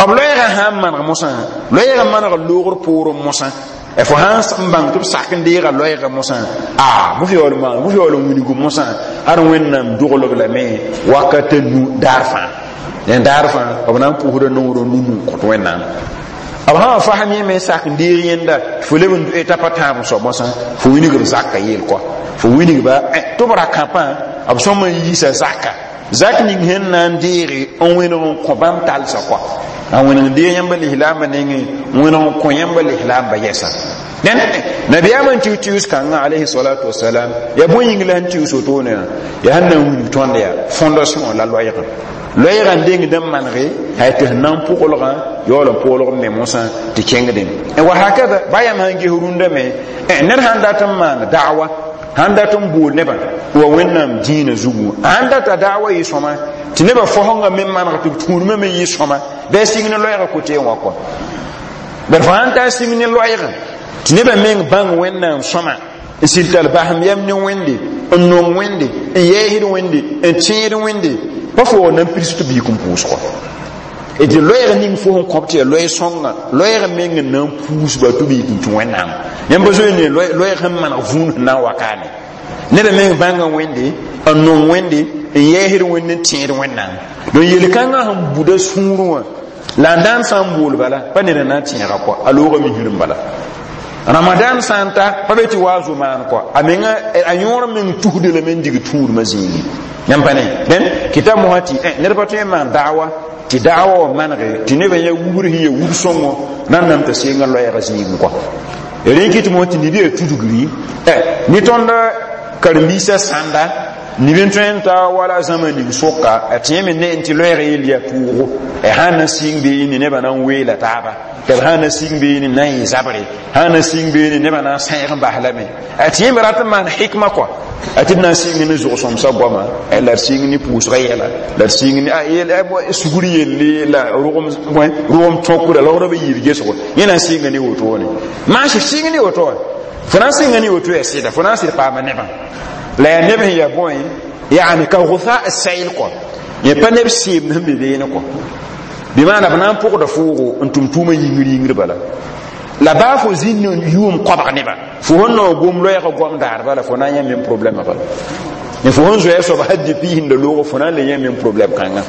b loɛɛgã sã n maneg mosã loɛɛgã maneg loogr poorẽ mosã fo sãn n bãng tɩ b sak n deega loɛɛgã mosã a bʋ yaool maan bʋ yaool n wilg mosã ad wẽnnaam doglg lame wakata nu daar fãa dẽn daar fãa b na n pʋsda nongr nu n kõt wẽnnaam b sã fasem yẽ me sak n deeg yẽnda fo leb n t'a pa tãab n soab mosã fo wilg b zaka yeel kɔa fo wilgba tɩ b ra kãpã b sõm n yiisa zaka zak ning sẽn na n deege n wẽneg n kõ bãmb talsã kɔa a wẽneg n deeg yãmba lislaambã nengẽ n wẽneg n kõ yãmba lislaambã yɛsa dẽn nabiyaam n tɩ tius kãngã alayhi salatu wasalam yaa bõe yĩng la sẽn tius wotone wã yaa sẽn na n wilg tõnd yaa fondation la loɛɛgã loɛɛgã n dengd n manege hay tɩ sẽn na n pʋglgã yaool n pʋglg me mosã tɩ kẽngdẽ wa hakada ba yãmb sãn ges rũndã me ned sãn dat n maan da'wa sãn dat n bool nebã wa wẽnnaam dĩinã zugu sãn data da'wa yɩ sõma tɩ nebã fosengã me maneg tɩ b tũudmã me yɩ sõma bɩ a sɩng ne loɛɛgã kote wã kɔa bad fo sãn ta sɩng ne loɛɛgã tɩ nebã meng bãng wẽnnaam sõma n sɩd tar basem yam ne wẽnde n nong wẽnde n yɛɛsd wẽnde n tẽed wẽnde pa fo wa na n pirs tɩ biik n pʋʋsgɔ d loɛɛg ning fo sẽn kõb tɩ yaa loɛɛ-sõnga loɛɛg meng n na n puusba tɩ b yik n tũ wẽnnaam yãmb zoe ne loɛɛg sẽn maneg vũun sẽn na n wa kaane neda meng bãnga wẽnde n nong wẽnde n yɛɛsd wẽnd n tẽed wẽnnaam donc yel-kãngã sẽn buda sũurẽ wã la n daan sã n bool bala pa ned n na n tẽega kɔa a loogame hirm bala ramadan sã n ta pa be tɩ wa zo maan kɔa a menga a yõor meng tusde lame n dig tũudmã zĩigi yãmb pa ne dẽn kɩta mosã tɩ ned pa tõe n maan da'wa tɩ da'wa wã manege tɩ nebã yaa wubr sẽn yaa wub sõngo nan nam t'a seenga loɛɛgã zĩigẽ kɔa rẽ kɩ tɩ mosã tɩ neb yaa tudgri ne tõnd karen-biisã sãnda nib n tõe n ta wala zãma ning sʋka a tẽeme ne n tɩ loɛɛg yell yaa tʋʋgo sã na sɩng beene nebã na n weela taaba tɩ b sã na sɩng beene na n yɩ zabre sã na sɩng beene nebã na n sãeeg n bas lame a tẽeme rat n maan hikma kɔa a tɩ d na n sɩng ne zʋg-sõmsã goama la d sɩng ne pʋʋsgã yɛla la d sɩng ne sugr yelle la rʋgem tõkra la b yiib gesgo yẽ na n sɩnga ne wotone maas sɩng ne woto wã fo na n sɩnga ne woto yaa sɩda fo na n sɩd paama nebã la yaa neb sẽn yaa bõe yaani ka gʋsa sayl kɔ yẽ pa neb seemd sẽn be beene kɔ bɩ maana b na n pʋgda foogo n tʋm tʋʋmã yĩngr yĩngr bala la baa fo zĩnd yʋʋm koabg nebã fo sẽn nao gom loɛɛgã goam daar bala fo na n yã mem problɛmã bala ne fo sẽn zoɛɛ soaba hal depuis sẽn da loogo fo na n le yã mem problɛm kãngã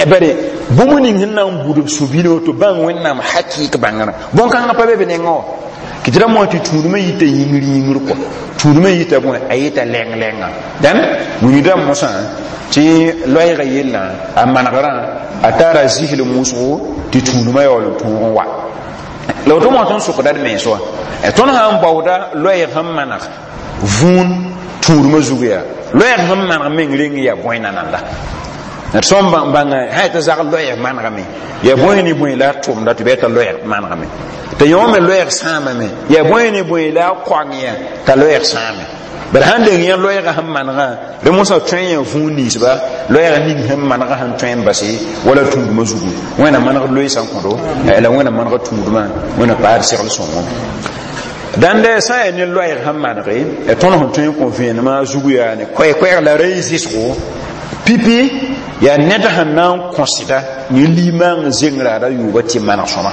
bare bũmb ning sẽn na n bud b sũ-bilg tɩ bãng wẽnnaam hakɩɩk bãngrã bõn-kãngã pa be b nengã wã kɩ tɩ ra moa tɩ tũudmã yita yĩngr yĩngr kɔ tũudmã yita bõe a yita lɛng lɛnga dãn wilgdã mosã tɩ loɛɛgã yellã a manegrã a tara zisl wʋsgo tɩ tũudmã yaool n tõog n wa la woto mosã n sʋkda d mens wã tõnd sã n baooda loɛɛg sẽn maneg vũun tũudmã zug yaa loɛɛg sẽn maneg meng reng yaa bõe nananda d sõm bãnga sã tɩ zag loɛɛg manegame yaa bõe ne bõe la a tʋmda tɩ bɩ t'a loɛɛg manegame tɩ yõ me loɛɛg sãamame yaa bõe ne bõe la a koang yã t'a loɛɛg sãame bala sãn deng yã loɛɛgã sẽn manegã rẽ mosã tõe yã vũun ninsba loɛɛg ning sẽn manegã sẽn tõe n base wala tũudmã zugu wẽna maneg loeesã n kõdo la wẽna maneg tũudmã wẽna paad segl sõngo dãnd sã n yaa ne loɛɛg sẽn manege tõnd sẽn tõe n kõ vẽenemã zugu yaa ne koɛɛ-koɛɛg la ra y zɩsgo pipi yaa ned sẽn na n kõsda ne limaang zengraada yʋʋba tɩ maneg sõma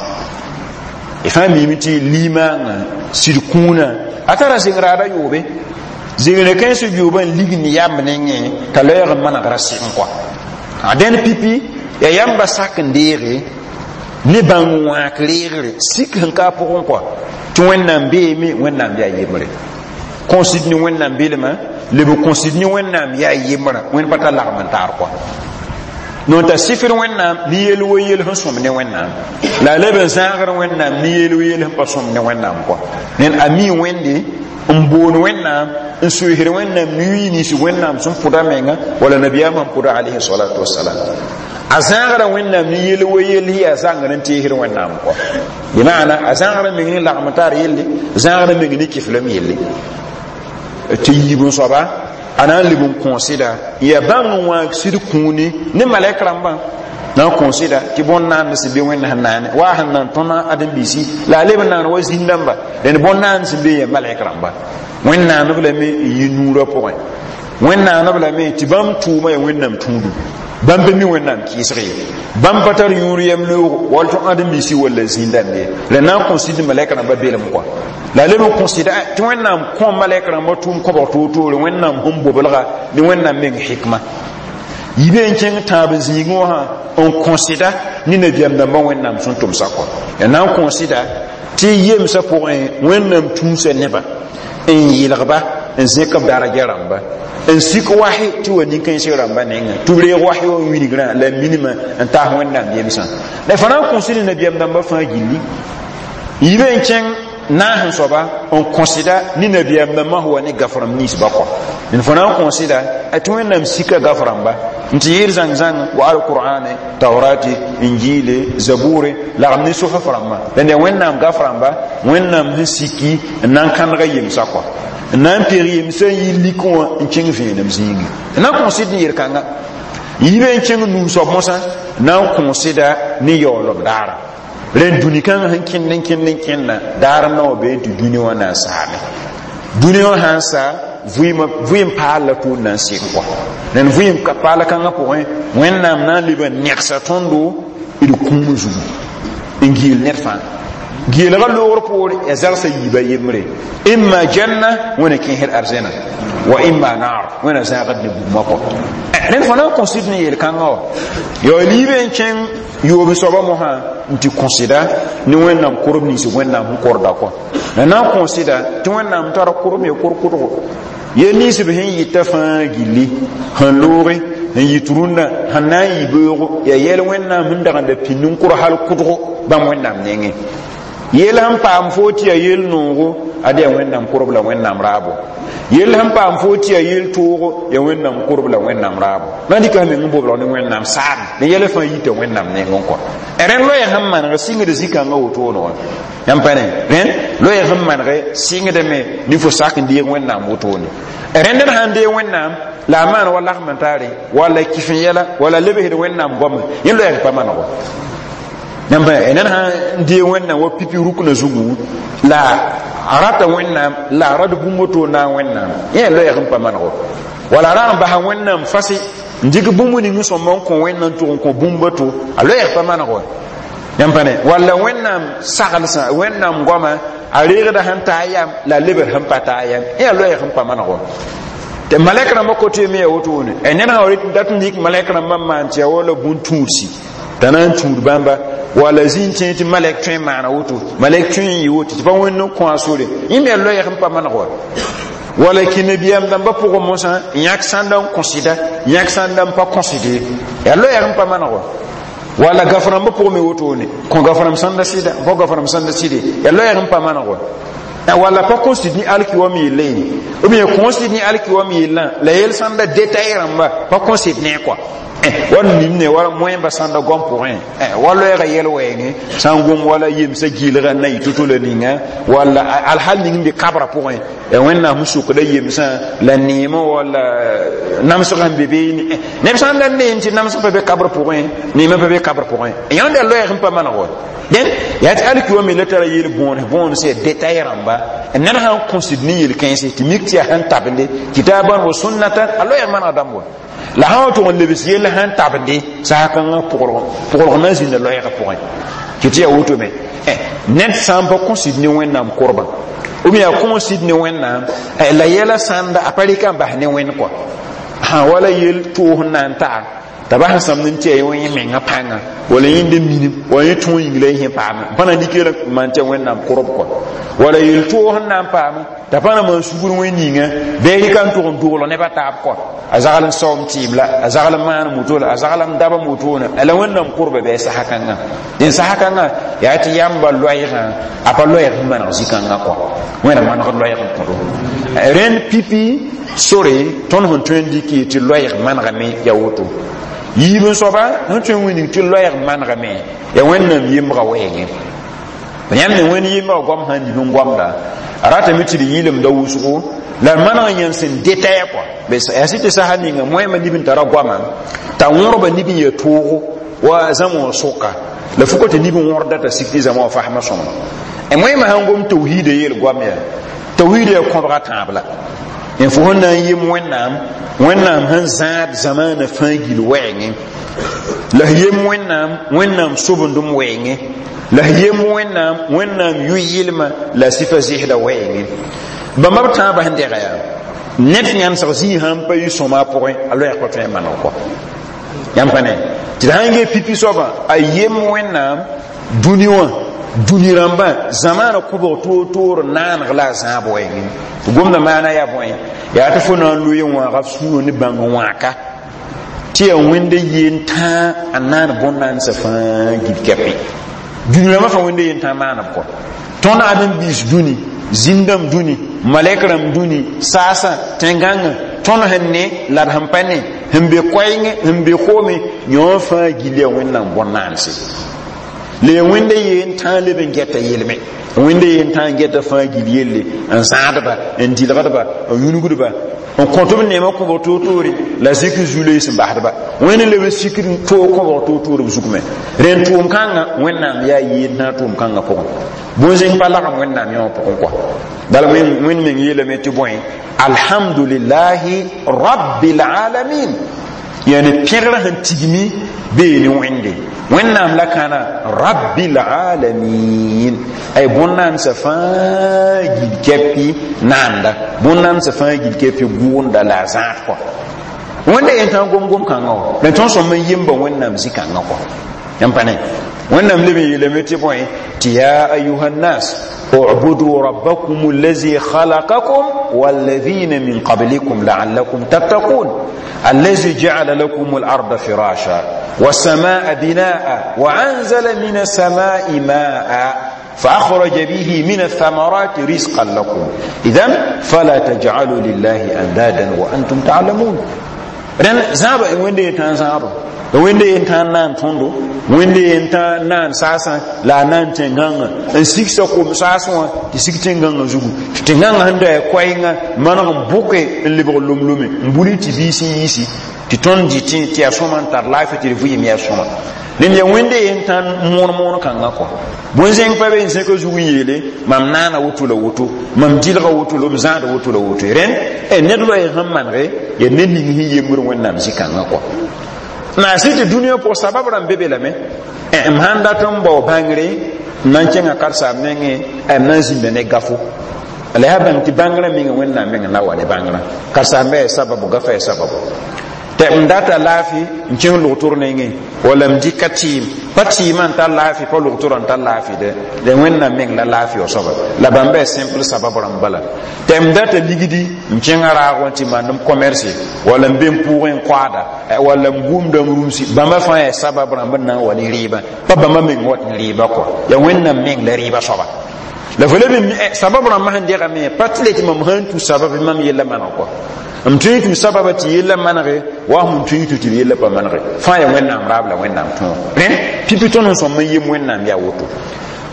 y fãa miime tɩ limaangã sɩd kũunã a tara zengraada yʋʋbe zengre kãens yʋʋbã n lig ne yamb nengẽ t'a loɛɛg n manegra sɩng kɔa a dẽn pipi yaa yãmba sak n deege ne bãng wãak reegre sik sẽn ka a pʋgẽ kɔa tɩ wẽnnaam beeme wẽnnaam yaa yembre Kõsd ne Wẽnnaam belmã, leb n kõsd ne Wẽnnaam yaa yembrã, Wẽnd pa tar lagm n taar kɔa. Non t'a sifr Wẽnnaam ne yel wo yel sẽn sõm ne Wẽnnaam, la a leb n zãagr Wẽnnaam ne yel wo yel sẽn pa sõm ne Wẽnnaam kɔa. Ned a mi Wẽnde n boon Wẽnnaam n soesd Wẽnnaam nuii nins Wẽnnaam sẽn pʋda menga wala nabiyaamã sẽn pʋda alayhi salatu wasalam. A zãagra Wẽnnaam ne yel wo yell yaa zãngr n teesd Wẽnnaam kɔa. Bɩ maana a zãagra meng ne lagm taar yelle, zãagra meng ne kiflem yelle tɩ yiib n soaba a na n leb n kõoseda yaa bãmb n wãag sɩd kũuni ne malɛk rãmbã na n kõoseda tɩ bõn-naand sẽn be Wẽnd sẽn naane wa sẽn nan tõna ãdem-biisi la a leb n naan wa zĩn-dãmba. Dẽnd bõn-naand sẽn be yaa malɛk rãmba, Wẽnd naaneb lame n yi nuurã pʋgẽ. Wẽnd naaneb lame tɩ bãmb tʋʋma yaa Wẽnnaam tũudum, bãmb pa mi Wẽnnaam kɩɩsg ye, bãmb pa tar yũur yɛm looogo wall tɩ ãdem-biisi walla zĩn-dãmb ye. La na n kõsd malɛk rãmba belem kɔa, la a leb n kõsda tɩ Wẽnnaam kõ malɛk rãmba tʋʋm kõbg toor-toore, Wẽnnaam sẽn bobelga ne Wẽnnaam meng hikma yibe n kẽng tãab n zĩigẽ wã n kõsda ne nabiyaam dãmbã Wẽnnaam sẽn tʋmsa kɔa. Ya na n kõsda tɩ yemsã pʋgẽ Wẽnnaam tũusa nebã n yɩlgba n zẽk b daraja rãmba n sik wahi tɩ wa nin-kãensg rãmba nengẽ tɩ b reeg wahi wã wilgrã la minimã n taas Wẽnnaam yemsã. La fã na n kõsd nabiyaam dãmbã fãa gilli yibe n kẽng naas n soaba n kõsda ne nabiyaam dãmbã sẽn wa ne gaf-rãmb ninsbã kɔa. D fõ na n kõsda tɩ Wẽnnaam sika gaf-rãmba n tɩ yɩɩd zãng-zãng wa alqur'ane, taurati, injile, zabure lagm ne sofaf rãmbã. La nda Wẽnnaam gaf-rãmba Wẽnnaam sẽn siki n na n kãnega yemsã kɔa, n na n peg yemsã n yi lik wã n kẽng vẽenem zĩigi n na n kõsd n yel-kãnga yibe n kẽng nuu soab mosã na n kõsda ne yaoolem daara. Rẽnd dũni kãngã sẽn kẽnd n kẽnd n kẽnda daar n na wa bee tɩ dũni wã na n saame. Dũni wã sã n sa, vɩɩm paal la tʋʋn na n sɩk kɔa. Rẽnd vɩɩm paala kãngã pʋgẽ Wẽnnaam na n leb n negsa tõndo d kũum zugu n geel ned fãa geelga loogr poore ya zagsã yiiba yembre: imma janna, Wẽna kẽesd arzẽna, wa imma naar, Wẽna zãagd ne bugmã kɔ. Rẽnd fõ na n kõsd ne yel-kãngã wã ya liibe n kẽng yoob soaba mosã n tɩ kõsda ne Wẽnnaam korb nins Wẽnnaam sẽn korda kɔ. La na n kõsda tɩ Wẽnnaam tara korem ya kor-kʋdgo yel nins b sẽn yɩta fãa gilli sẽn looge n yit rũndã sẽn na n yɩ beoogo ya yɛl Wẽnnaam sẽn dagenda pĩnd n kʋr hal kʋdgo bãmb Wẽnnaam nengẽ. Yel sẽn paam foo tɩ yaa yel noogo, ad yaa Wẽnnaam korb la Wẽnnaam raabo. Yel sẽn paam foo tɩ yaa yel toogo, yaa Wẽnnaam korb la Wẽnnaam raabo. Na n dɩka meng n boblg ne Wẽnnaam saam ne yɛl fãa yita Wẽnnaam nengẽ kɔ. Rẽnd loɛɛg sẽn maneg sɩngd zĩ-kãngã wotone wã yãmb pa ne rẽnd loɛɛg sẽn maneg sɩngdame ne fo sak n deeg Wẽnnaam wotone. Rẽnd d sãn deeg Wẽnnaam la a maan wa lagm n taare walla kɩf n yɛla walla lebsd Wẽnnaam goamã, yẽ loɛɛg pa manego yãmb. Ned sãn deeg Wẽnnaam wa pipi ruknã zugu la a rata Wẽnnaam la a rad bũmb woto naag Wẽnnaam, yẽ loɛɛg n pa manego. Wala a ra n basa Wẽnnaam fase n dɩk bũmb ning sõmba n kõ Wẽnnaam tʋg n kõ bũmb to a loɛɛg pa manego yãmb pa ne. Walla Wẽnnaam saglsã, Wẽnnaam goama a reegda sẽn taa yam la a lebd sẽn pa taa yam, yẽ loɛɛg n pa manego. Tɩ malɛk rãmbã kote me ya wotone. Ned sã dat n dɩk malɛk rãmbã n maan tɩ ya wala bũn-tũudsi t'a na n tũud bãmba wala zĩig tẽ tɩ malɛk tõe n maana woto, malɛk tõe n yɩ woto tɩ pa Wẽnd n kõ a sore, yẽ me loɛɛg n pa maneg wa. Wala kĩ nabiyaam dãmbã pʋgẽ mosã yãk sãnda n kõsda, yãk sãnda n pa kõsde, yaa loɛɛg n pa maneg wa. Wala gaf-rãmbã pʋgẽ me wotone, kõ gaf-rãmb sãnda sɩda, pa gaf-rãmb sãnda sɩde, yaa loɛɛg n pa maneg wa. Wala pa kõsd ne alkiwam yellã ye ou bien kõsd ne alkiwam yellã la yel sãnda détail rãmba pa kõsd ne kɔa wall nimne wala moẽmba sãnda gom pʋgẽ wa loɛɛga yɛl wɛɛngẽ sã n gom wala yemsã gɩɩlga n na yɩ to-to la ninga walla alhal ning n be kabra pʋgẽ Wẽnnaam sẽn sʋkda yemsã la neemã walla namsg sẽn be beene. Neb sã n da neem tɩ namsg pa be kabr pʋgẽ, neemã pa be kabr pʋgẽ, yãnd yaa loɛɛg n pa maneg wa. Dẽn yaa tɩ alki wã me la tara yel bõone bõon sẽn détail rãmba. Ned sãn kõsd ne yel-kãense tɩ mik tɩ yaa sẽn tabende kitaban wa sunnatan, a loɛɛg manega dãmb wa. La sã wa tʋg n lebs yell sẽn tabende saakãngã pʋglg na n zĩnda loɛɛgã pʋgẽ tɩ tɩ yaa woto me. Ned sã n pa kõsd ne Wẽnnaam korbã ou bien a kõsd ne Wẽnnaam la yɛla sãnda a pa rɩka n bas ne Wẽnd kɔa, sã wala yel toos n na n taa T'a bas n sãmd n tɩ yaa yẽ menga pãnga wala yẽnd n minim wala yẽ tõog yĩng la yẽ sẽn paame pa na nik n maan tɩ ya Wẽnnaam korb kɔa wala yel-toog sẽn na n paame t'a pa na maan sugr wẽn ninga bɩ a rɩka n tʋg n doglg neb a taab kɔa a zagl n saoom tɩɩm la a zagl n maan moto la a zagl n daba motone la Wẽnnaam korba bɩ a sasa kãngã dẽn sasa kãngã yaa tɩ yãmba loɛɛgã a pa loɛɛg sẽn maneg zĩ-kãngã kɔa Wẽnna manegd loɛɛg n kõdo rẽnd pipi sore tõnd sẽn tõe n dɩk tɩ loɛɛg manegame ya woto yiib n soaba sẽn tõe n wilg tɩ loɛɛg manegame ya Wẽnnaam yembga wɛɛngẽ yãmb me Wẽnd yembga goam sã n nib n goamda a ratame tɩ d yɩlemda wʋsgo la d maneg yãmb sẽn detaya kɔa yaa sɩ tɩ sasa ninga moẽmã nib n tara goamã t'a wõrba nib n ya toogo wa zãma wã sʋka la fʋka tɩ nib n wõrda t'a sik tɩ zãma wã fasmã sõma moẽmã sãn gom tawhiida yeel goam yaa tawhiida yaa kõbga tãab la n fo sẽn na n yem Wẽnnaam Wẽnnaam sẽn zãad zamaana fãa gil wɛɛngẽ la f yem Wẽnnaam Wẽnnaam sobendem wɛɛngẽ la f yem Wẽnnaam Wẽnnaam yʋ-yɩlma la sɩfa zɩsda wɛɛngẽ bãmba b tãabã sẽn dɛga yaa ned yãnsg zĩig sãn pa yɩ sõma a pʋgẽ a loɛɛg pa tõe n maneg kɔa yãmb pa ne tɩ d sãn gee pipi soabã a yem Wẽnnaam dũni wã dũni rãmbã zamaana kõbg toor-toor naaneg la a zãab wɛɛngẽ tɩ gomda maana yaa bõe yaa tɩ fo na n loe wãaga f sũurã ne bãng wãaka tɩ yaa Wẽnda yeen tãa a naan bõn-naandsã fãa gil kɛpẽ dũni rãmbã fãa Wẽnda yen tãa maaneb kɔ tõnd ãdem-biis dũni zĩn-dãmb dũni malɛk rãmb dũni saasã tẽn-gãngã tõnd sẽn ne la d sẽn pa ne sẽn be koɛɛngẽ sẽn be koome yõ fãa gil yaa Wẽnnaam bõn-naanse la yaa Wẽnda yeen tãa leb n gɛta yelme Wẽnda yeen tãa n gɛta fãa gil yelle n zãadba n dɩlgdba n yũnugdba n kõt b neemã kõbg toor-toore la zikr zu-loees n basdba Wẽnd leb n sikd toog kõbg toor-toor b zug me rẽnd tʋʋm kãngã Wẽnnaam yaa yeen tãa tʋʋm kãngã pʋgẽ bõn-zẽng pa lagem Wẽnnaam yõ pʋgẽ kɔa bala Wẽnd meng yeelame tɩ bõe alhamdulillahi rabbil alamin yani pẽgrã sẽn tigmi bee ne Wẽnde Wẽnnaam la kãna rabbil alamin ay bõn-naandsã fãa gil kɛpɩ naanda bõn-naandsã fãa gil kɛpɩ gʋʋnda la a zãad kɔa Wẽnda yen tã gom-gom kãngã wã la tõnd sõm n yemba Wẽnnaam zĩ-kãngã kɔa yãmb pa ne Wẽnnaam leb n yeelame tɩ bõe tɩ ya ayuha nnas اعبدوا ربكم الذي خلقكم والذين من قبلكم لعلكم تتقون الذي جعل لكم الأرض فراشا والسماء بناء وأنزل من السماء ماء فأخرج به من الثمرات رزقا لكم إذن فلا تجعلوا لله أندادا وأنتم تعلمون rẽn zãaba Wẽnde yen tãn zãaba Wẽnde yen tã n naan tõndo Wẽnde yen tã naan saasã la a naan tẽn-gãngã n sigsa kom saasẽ wã tɩ sig tẽn-gãngã zugu tɩ tẽn-gãngã sẽn da yaa koɛɛngã maneg n bʋke n lebg lom-lome n buli tɩ biis n yiisi tɩ tõnd dɩtẽ tɩ yaa sõma n tar laafɩ tɩ d vɩɩm yaa sõma dẽnd yaa Wẽnde yen tã moon moon kãngã kɔ bõn-zẽng pa be n zẽka zug n yeele mam naana woto la woto mam dɩlga woto la m zãada woto la woto rẽnd ned loɛɛg sẽn manege yaa ned ning sẽn yembr Wẽnnaam zĩ-kãngã kɔ na sɩ tɩ dũniyã pʋg sabab rãmb be be lame m sãn dat n bao bãngre n na n kẽngã karsaam nengẽ m na n zĩnda ne gafo la yaa bãng tɩ bãngrã menga Wẽnnaam meng na wa ne bãngrã karsaambã yaa sababu gafa yaa sababu tɩ m data laafɩ n kẽng logtor nengẽ wala m dɩka tɩɩm pa tɩɩmã n tar laafɩ pa logtorã n tar laafɩ dɛ la Wẽnnaam meng la laafɩ wa soaba la bãmba yaa simple sabab rãmb bala tɩ m data ligdi n kẽngã raag wã tɩ maand m commerce wala m be n pʋʋgẽ n koaada wala m gũumda m rũmsi bãmba fãa yaa sabab rãmb n na n wa ne rɩɩbã pa bãmba meng wat ne rɩɩba kɔ yaa Wẽnnaam meng la rɩɩba soaba la fo leb sabab rãmbã sẽn degame pa tɩ le tɩ mam sãn tu sabab mam yella maneg kɔ m tõe tũ sababa tɩ yella manege wa sẽn tõe tũ tɩ d yella pa manege fãa yaa Wẽnnaam raab la Wẽnnaam tõog rẽ pipi tõnd sẽn sõm n yem Wẽnnaam yaa woto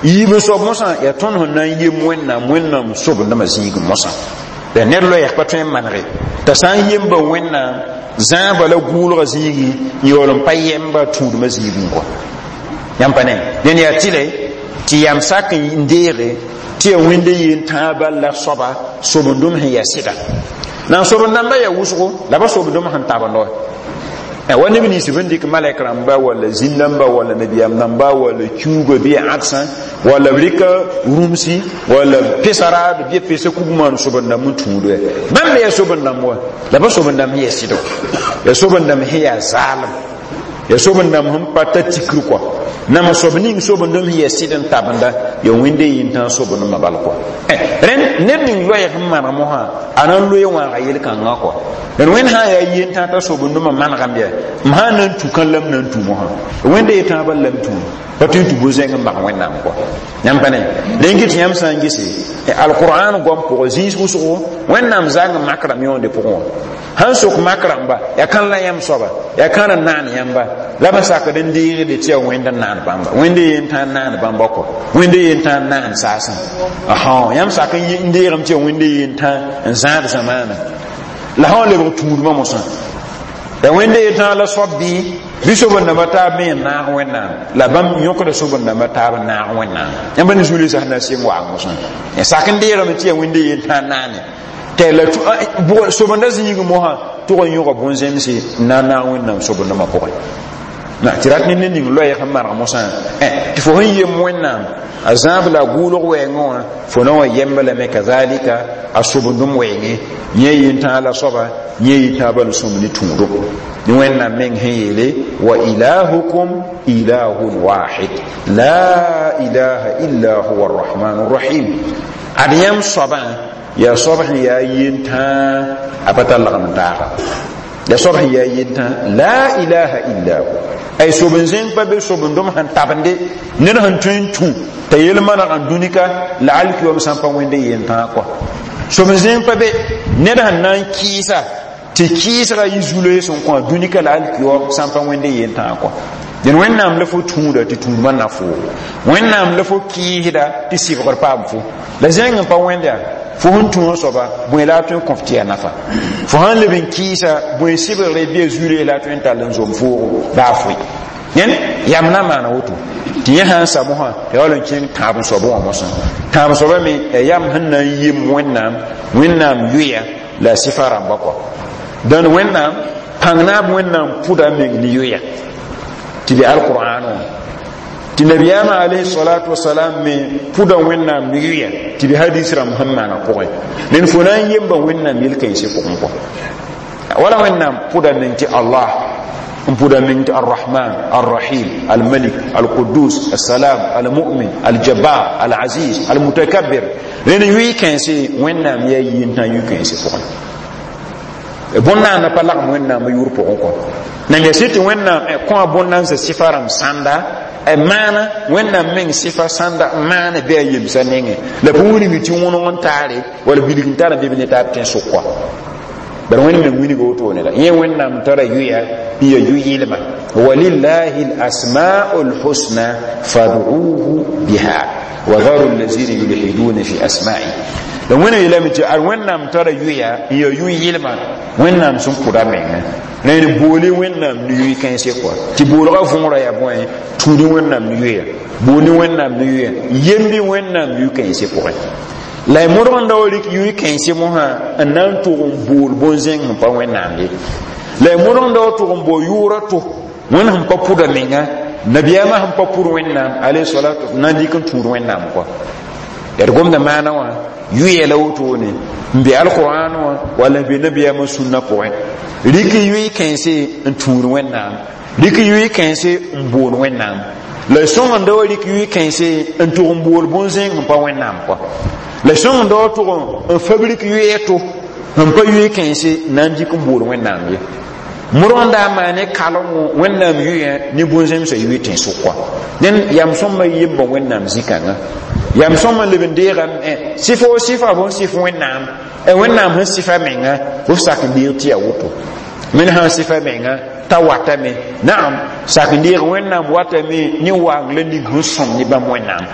yiib n soab mosã yaa tõnd sẽn na n yem Wẽnnaam Wẽnnaam sobendãmã zĩig mosã la ned loɛɛg pa tõe n manege t'a sã n yemba Wẽnnaam zãaba la gʋʋlgã zĩigẽ n yaool n pa yɛmba tũudmã zĩigẽ kɔ yãmb pa ne dẽnd yaa tɩle tɩ yam sak n deege tɩ yaa Wẽnde yen tãa bal la soaba sobendem sẽn yaa sɩda na n sobend-dãmbã yaa wʋsgo la ba sobendem sẽn tabend wa wa neb nins b n dɩk malɛk rãmba walla zĩn-dãmba walla nabiyaam dãmba walla kiuugã bɩ ãdsã walla b rɩka rũmsi walla pesa raad bɩ pesa kug maan sobend-dãmb n tũud wɛ bãmb me yaa sobend-dãmb wa la ba sobend-dãmb sẽn yaa sɩdo yaa sobend-dãmb sẽn yaa zaalem Ya sob-n-dãmb sẽn pa ta tikr kɔa nama soab ning sob-n-dõm sẽn yaa sɩd n tabenda ya wẽnde yentã sob-n-dõmã bal kɔa. Rẽnd ned ning loɛɛg sẽn maneg mosã a na n loe wãaga yel-kãngã kɔa. D wẽnd sã n yaa yentã t'a sob-n-dõmã manegame yaa m sã n na n tũ kãn la m na n tũ mosã wẽnde yetã bal la m tũu pa tõe n tũ bõn-zẽng n bag Wẽnnaam kɔa. Yãmb pa ne rẽn kɩ tɩ yãmb sã n gese alqur'an goam pʋgẽ zĩis wʋsgo Wẽnnaam zang mak rãmb yõonde pʋgẽ wã sãn sok mak rãmba yaa kãn la yãmb soaba yaa kãn n naan yãmba la b sakd n deegde tɩ yaa wẽnd n naan bãmba wẽnde yentã n naan bãmba kɔ wẽnde yentã n naan saasã ã yãmb sak n deegame tɩ yaa wẽnde yentã n zãad zamaana la sã wa lebg tũudmã mosã ya wẽnde yetã la soab bɩ bɩ sob-n-dãmbã taab me n naag Wẽnnaam la bãmb yõkda sob-n-dãmbã taab n naag Wẽnnaam yãmb ne zu-loeesã sẽn na sɩng waag mosã ya sak n deegame tɩ yaa wẽnde yentã n naane tɩ la sob-n-da zĩig mosã tʋg n yõga bõn-zemse n na n naag Wẽnnaam sob-n-dãmbã pʋgẽ na tɩ rat ne ned ning loɛɛg sẽn maneg mosã tɩ fo sẽn yem Wẽnnaam a zãab la a gʋʋlg wɛɛngẽ wã fo na wa yemba lame kazalika a sob-n-dõm wɛɛngẽ yẽ yentã la soaba yẽ yentã bal sõm ne tũudo ne Wẽnnaam meng sẽn yeele wa ilahukum ilahun wahid la ilaha illa huwa arrahmanu rrahim ad yãmb soabã yaa soab sẽn yaa yentã a pa tar lagm n taaga ya soab sẽn yaa yentã la ilaha illa hu ay sob-n-zẽng pa be sob-n-dõm sẽn tabende ned sẽn tõe n tũ t'a yel maneg n dũnika la alkiwam sã n pa wẽnde yentã kɔa sob-n-zẽng pa be ned sẽn na n kɩɩsa tɩ kɩɩsga yɩ zu-loees n kõ dũnika la alkiwam sã n pa wẽnde yentã kɔa dẽn Wẽnnaam la fo tũuda tɩ tũudmã na foo Wẽnnaam la fo kɩɩsda tɩ sɩbgr paam fo la zẽng n pa wẽnd yaa fo sẽn tũ soaba bõe la a tõe n kõf tɩ yaa nafa fo sãn leb n kɩɩsa bõe sɩbgre bɩ a zu-loees la a tõe n tall n zom foogo baa foe yẽn yam na maana woto tɩ yẽ sã n sa mosã ya wall n kẽng tãab n soabẽ wã mosã tãab soabã me ya yam sẽn na n yem Wẽnnaam Wẽnnaam yoya la a sɩfa rãmba kɔa dãn Wẽnnaam pãng naab Wẽnnaam pʋda meng ne yoya tɩ bɩ alqur'an wã tɩ nabiyaamã alayhi salatu wasalam me pʋda Wẽnnaam ne yoya tɩ bɩ hadis rãmb sẽn maana pʋgẽ ned fo na n yemba Wẽnnaam yel-kãensẽ pʋgẽ kɔa wala Wẽnnaam pʋda meng tɩ Allah n pʋda meng tɩ arrahman arrahim almalik alqudus alsalam almu'min aljabbar alaziz almutakabbir rẽnd yʋɩ kãense Wẽnnaam yaa yentã yʋ-kãensẽ pʋgẽ bõn-naana pa lagem Wẽnnaam yʋʋr pʋgẽ kɔ nan ya sɩ tɩ Wẽnnaam kõ a bõn-nansã sɩfa rãmb sãnda maana Wẽnnaam meng sɩfa sãnda n maana bɩ a yemsã nengẽ la pa wilg tɩ wõneg n taare wala bilg n tar n bɩ ne taab tẽn-sʋk kɔa bara Wẽnd meng wilga wotone la yẽ Wẽnnaam tara yʋya n ya yʋ-yɩlma walillahi lasmau lhusna fad'uhu biha wa dharu allazina yulhiduna fi asma'i la Wẽnnaam yeelame tɩ ad Wẽnnaam tara yʋya n ya yʋ-yɩlma Wẽnnaam sẽn pʋda menga rẽnd boole Wẽnnaam ne yʋ-kãense kɔa tɩ boolgã võora yaa bõe tũud Wẽnnaam ne yʋya bool ne Wẽnnaam ne yʋya yembi Wẽnnaam yʋ-kãense pʋgẽ la y modg n da wa rɩk yʋ-kãense mosã n na n tʋg n bool bõn-zẽng sẽn pa Wẽnnaam ye la y modg n da wa tʋg n bao yʋʋra to Wẽnd sẽn pa pʋda menga nabiyaamã sẽn pa pʋd Wẽnnaam alayhi salatu na n dɩk n tũud Wẽnnaam kɔa ya d gomda maana wã yʋya la wotone n be alqur'an wã walla n be nabiyaamã sũnna pʋgẽ rɩk yʋɩ-kãense n tũud Wẽnnaam rɩk yʋɩ-kãense n bool Wẽnnaam la sõng n da wa rɩk yʋɩ-kãense n tʋg n bool bõn-zẽng sẽn pa Wẽnnaam kɔa la sõng n da wa tʋg n fabrik yʋɩ to sẽn pa yʋɩ-kãense na n dɩk n bool Wẽnnaam ye modg n da n maan ne kalengõ Wẽnnaam yʋyã ne bõn-zẽmsã yʋɩ tẽn-sʋk kɔa dẽn yam sõmba yemba Wẽnnaam zĩ-kãngã yam sõma leb n deegame sɩf o sɩfa fo n sɩf Wẽnnaam Wẽnnaam sẽn sɩfa menga f sak n deeg tɩ yaa woto wẽnd sã n sɩfa menga t'a watame naam sak n deeg Wẽnnaam watame ne waang la ning sẽn sõm ne bãmb Wẽnnaam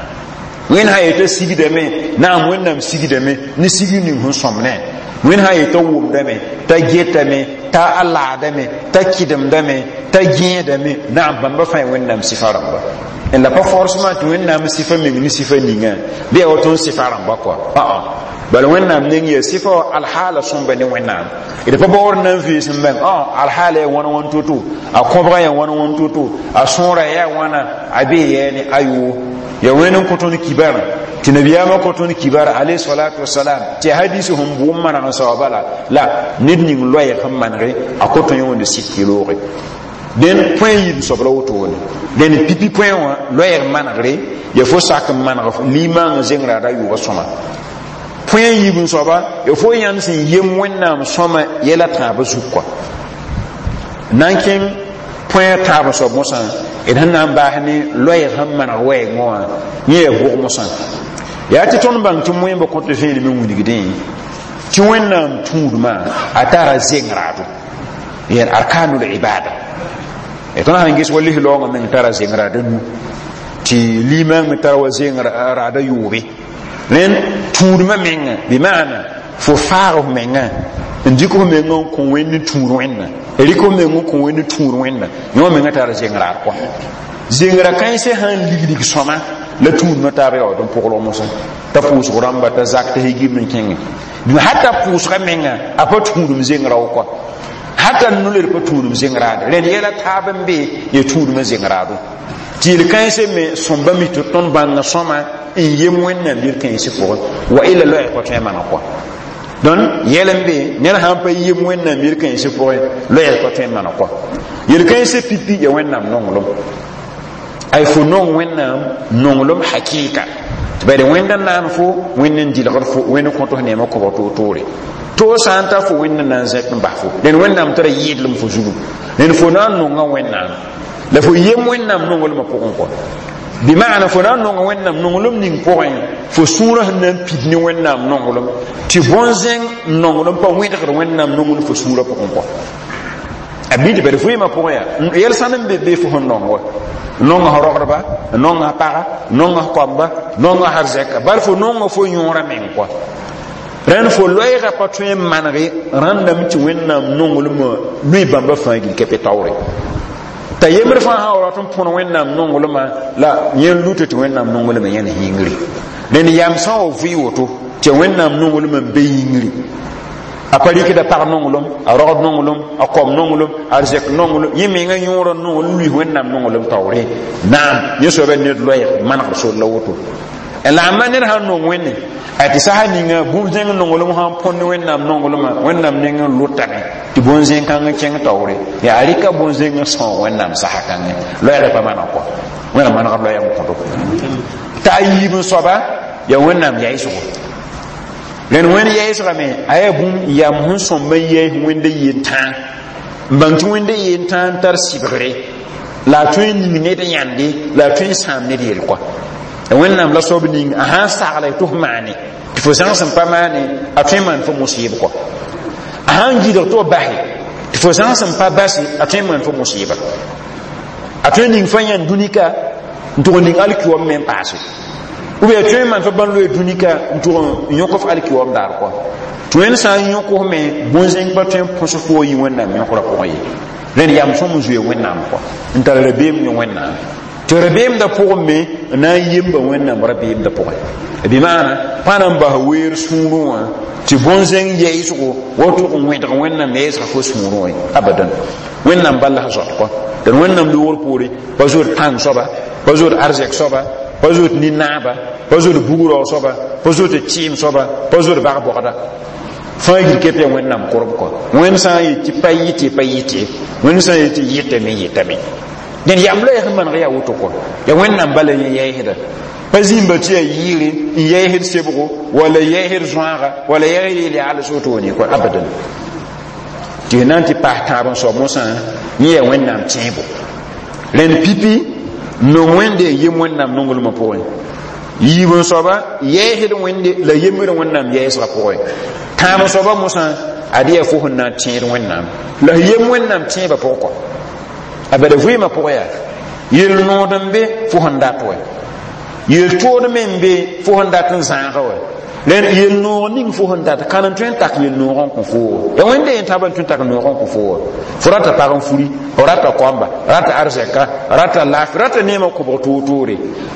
Wẽnd sã yeta sigdame naam Wẽnnaam sigdame ne sig ning sẽn sõm ne Wẽnd sã yeta wʋmdame t'a getame t'a a laadame t'a kɩdemdame t'a gẽedame naam bãmba fãa Wẽnnaam sɩfa rãmba la pa forcément tɩ Wẽnnaam sɩfa meng ne sɩfa ninga bɩ yaa woto n sɩfa rãmba kɔa aa bala Wẽnnaam neng yaa sɩfa wã alhaala sõmba ne Wẽnnaam d pa baoor na n vɩɩs n bãng alhaala yaa wãn wãn to-to a kõbga yaa wãn wãn to-to a sõora yaa wãna a bee yaa ne ayoo ya wẽnd n kõ tõnd kibarã tɩ nabiyaamã kõ tõnd kibar alayhi salatu wasalam tɩ hadis sẽn bʋʋm maneg n saoa bala la ned ning loɛɛg sẽn manege a kõ tõe yõond sɩd tɩ looge Dẽn põe yiib soab la wotone dẽn pipi põe wã loɛɛg manegre ya fo sak n maneg limaangã zeng raada yʋʋba sõma põe yiib n soaba ya fo yãnd sẽn yem wẽnnaam sõma yɛla tãabã zug kɔa na n kẽng põe tãab n soab mosã d sẽn na n baas ne loɛɛg sẽn maneg wɛɛngẽ wã yẽ yaa bʋg mosã yaa tɩ tõnd bãng tɩ moẽmba kõt vẽenem n wilgdẽ tɩ wẽnnaam tũudmã a tara zeng raado yen arkanul ibada tõnd sãn ges wa lis-laoongã meng tara zeng raada nu tɩ limaang me tara wa zeng raada yʋʋbe rẽnd tũudmã menga bɩ maana fo faag f menga n dɩk f meng n kõ wẽnd n tũud wẽnna rɩk f meng n kõ wẽnd n tũud wẽnna yõ menga tara zeng raad kɔa zengra kãensã sãn liglig sõma la tũudmã taab yaood n pʋglg mosã t'a pʋʋsg rãmba t'a zak t'a higimd n kẽngẽ hata pʋʋsga menga a pa tũudum zeng rao kɔa hata noled pa tũudum zeng raade rẽnd yɛla taab n be ya tũudumã zeng raado tɩ yel-kãensã me sõmba mi tɩ tõnd bãnga sõma n yem wẽnnaam yel-kãensã pʋgẽ wa illa loɛɛg pa tõe n maneg kɔa donc yɛl n be ned sãn pa yem wẽnnaam yel-kãensã pʋgẽ loɛɛg pa tõe n maneg kɔa yel-kãensã pipi ya wẽnnaam nonglem ay fo nong wẽnnaam nonglem hakɩɩka tɩ bad wẽnd n naan fo wẽnd n dɩlgd fo wẽnd n kõt f neemã kobg toor-toore to sã n ta fo wẽnd n na n zẽk n bas fo dẽn wẽnnaam tara yɩɩdlem fo zugu dẽn fo na n nonga wẽnnaam la fo yem wẽnnaam nonglmã pʋgẽ kɔ bɩ maana fo na n nonga wẽnnaam nonglem ning pʋgẽ fo sũurã sẽn na n pid ne wẽnnaam nonglem tɩ bõn-zẽng nonglem pa wẽdgd wẽnnaam nonglem fo sũurã pʋgẽ kɔ a bɩ tɩ bad vɩɩmã pʋgẽ yaa yɛl sãn n be be fo sẽn nong wa nonga f rogdba nonga f paga nonga f koamba nonga f arzɛka bal fo nonga fo yõorã meng kɔa rẽnd fo loɛɛga pa tõe n manege rãndame tɩ wẽnnaam nonglmã lʋɩ bãmba fãa gil ka pe taoore t'a yembr fãa sã wa rat n põn wẽnnaam nonglmã la yẽ luta tɩ wẽnnaam nonglmã yẽn yĩngri rẽnd yam sã wa vɩ woto tɩ wẽnnaam nonglmã n be yĩngri a pa rɩkda pag nonglem a rogd nonglem a kom nonglem a arzɛk nonglem yẽ menga yõorã nonglem luis wẽnnaam nonglem taoore naam yẽ soaba ned loɛɛg manegd sor la woto la a ma ned sãn nong wẽnne a tɩ sasa ninga bũmb-zẽng nonglem sãn põnd wẽnnaam nonglmã wẽnnaam neng n lʋtame tɩ bõn-zẽng kãng kẽng taoore yaa a rɩka bõn-zẽng n sõog wẽnnaam sasa kãngẽ loɛɛgã pa maneg kɔ wẽnnaam manegd loɛɛg n kõto t'a a yiib n soaba yaa wẽnnaam yaɩsgo rẽnd wẽnd yaɩsgame a yaa bũmb yam sẽn sõmb n yaɩs wẽnda yentãag n bãng tɩ wẽnda yentãag n tar sɩbgre la a tõe n ning ned yãnde la a tõe n sãam ned yel kɔa wẽnnaam la soab ning a sãn sagla tɩ f maane tɩ fo zãgs n pa maane a tõe n maan fo mosɩɩb kɔ a sãn gɩdg tɩ f base tɩ fo zãgs n pa base a tõe n maan fo mosɩɩba a tõe n ning fa yãnd dũnika n tʋg n ning alkiwam me n paase ou bien a tõe n maan fa bãn loe dũnika n tʋg n yõk f alkiwam daar kɔ tɩ wẽnd sã n yõk f me bõn-zẽng pa tõe n põs fo yɩ wẽnnaam yõkrã pʋgẽ ye rẽnd yam sõm n zoe wẽnnaam kɔ n tar rabeem ne wẽnnaam tɩ rabeemdã pʋgẽ me n na n yemba wẽnnaam rabeemdã pʋgẽ bɩ maana pa na n bas weer sũurẽ wã tɩ bõn-zẽng yɛɩsgo wa tʋg n wẽdg wẽnnaam yɛɛsga fo sũurẽ wã abadan wẽnnaam bal la zot kɔ d wẽnnaam loogr poore pa zoet pãng soaba pa zoet arzɛk soaba pa zoet nin-naaba pa zoet bug-raoog soaba pa zoet tɩɩm soaba pa zoet bag-bogda fãa gil kep yaa wẽnnaam korb kɔ wẽnd sã n yet tɩ pa yɩte pa yɩte wẽnd sã n yet tɩ yɩtame yɩtame dẽn yam la yaa maneg yaa woto kɔ ya wẽnnaam bala yẽ yɛɛsda pa zĩmba tɩ yaa yɩɩre n yɛɛsd sebgo wala yɛɛsd zõaga wala yɛɛsd yel-yaals wotone kɔ abadan tɩ na n tɩ paas tãab n soab mosã yẽ yaa wẽnnaam tẽebo rẽnd pipi nong wẽnde yem wẽnnaam nonglmã pʋgẽ yiib n soaba yɛɛsd wẽnde la yembd wẽnnaam yɛɛsgã pʋgẽ tãab n soaba mosã ad yaa fo sẽn na n tẽed wẽnnaam la f yem wẽnnaam tẽebã pʋgẽ kɔ a bada vɩɩmã pʋgẽ yaa yel nood n be fo sẽn dat wɛ yel tood me n be fo sẽn dat n zãaga wɛ rẽnd yel noog ning fo sẽn dat kan n tõe n tak yel noog n kõ foo ya wẽnde yen tãb n tõe n tak noog n kõ foo fo rata pag n furi rata koamba rata arzɛka rata laafɩ rata neemã kobg toor-toore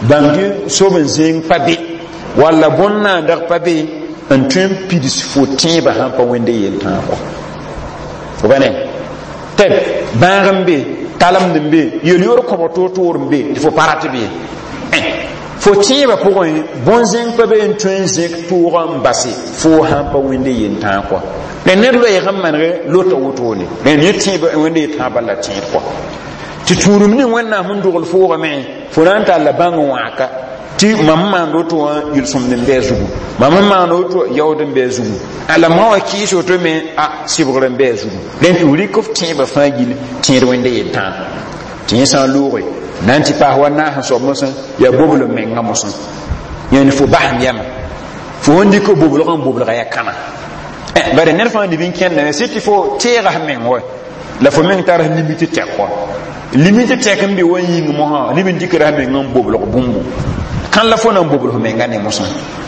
bãng tɩ sob n zẽng pa be walla bõn-naandg pa be n tõe n pids fo tẽebã sãn pa wẽnde yel tãag kɔ fo ba ne tɛb bãag n be talemd n be yel-yoor kõbg toor-toor n be tɩ fo pa rat be Fo tẽebã pʋgẽ bõn-zẽng pa be n tõe n zẽk tʋʋgã n base foo sãn pa wẽnde yentãag kɔa. La ned loɛɛg n manege lota wotone rẽnd yẽ tẽeb wẽnde yetãag bal la tẽed kɔa. Tɩ tũudum ning Wẽnnaam sẽn dogl foogame fo na n talla bãng n wãaka tɩ mam n maand woto wã yel-sõmd n bɩ a zugu, mam n maand woto yaood n bɩ a zugu, la ma wã kɩɩs woto me a sɩbgr n bɩ a zugu. Rẽnd tɩ f rɩk f tẽebã fãa gill tẽed wẽnde yentãag tɩ yẽ sã n looge na n tɩ paas wa naas n soab mosã yaa boblem menga mosã yẽnd fo basem yɛma fo sẽn dɩk boblg n boblga yaa kãna. Bare ned fãa neb n kẽndame sɩ tɩ fo teega f meng wa la fo meng tar limite tɛk wa limite tɛk n be wa yĩng mosã neb n dɩkra f meng n boblg bũmbu kãn la fo na n bobl f menga ne mosã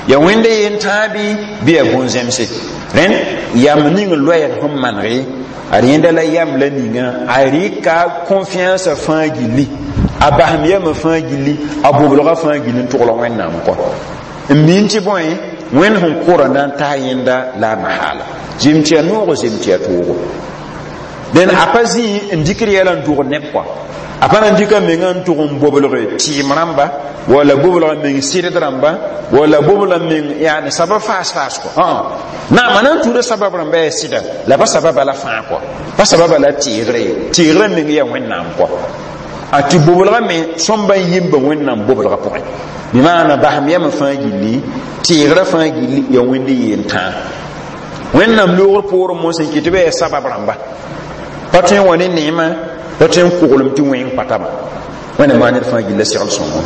ya wẽnde yentãag bɩ bɩ yaa bõn-zẽmse. Rẽnd yam ning loɛɛg sẽn manege ad yẽnda la yam la ninga a rɩka confiance fãa gilli, a basem yamã fãa gilli, a boblgã fãa gilli n togl Wẽnnaam kɔ n min tɩ bõe Wẽnd sẽn kora na n tas yẽnda la a mahaala zem tɩ ya noogo zem tɩ ya toogo. Dẽn a pa zĩ n dɩkd yɛla n tʋgd neb kɔa, a pa na n dɩka menga n tʋg n boblg tɩɩm rãmba walla boblg meng sɩdd rãmba walla boblg meng yaane sabab faas faas kɔ. Naam, a na n tuuda sabab rãmba yaa sɩda la pa sababa la fãa kɔ, pa sababa la teegre ye, teegrã meng yaa Wẽnnaam kɔ. A tɩ boblga me sõmba n yemba Wẽnnaam boblga pʋgẽ bɩ maana basem yamã fãa gilli teegrã fãa gilli yaa wẽnd yentãag. Wẽnnaam loogr poorẽ mosẽ n kɩ tɩ ba yaa sabab rãmba pa tõe n wa ne neemã pa tõe n koglem tɩ wẽng patama Wẽnnaam maa ned fãa gilla segl sõngo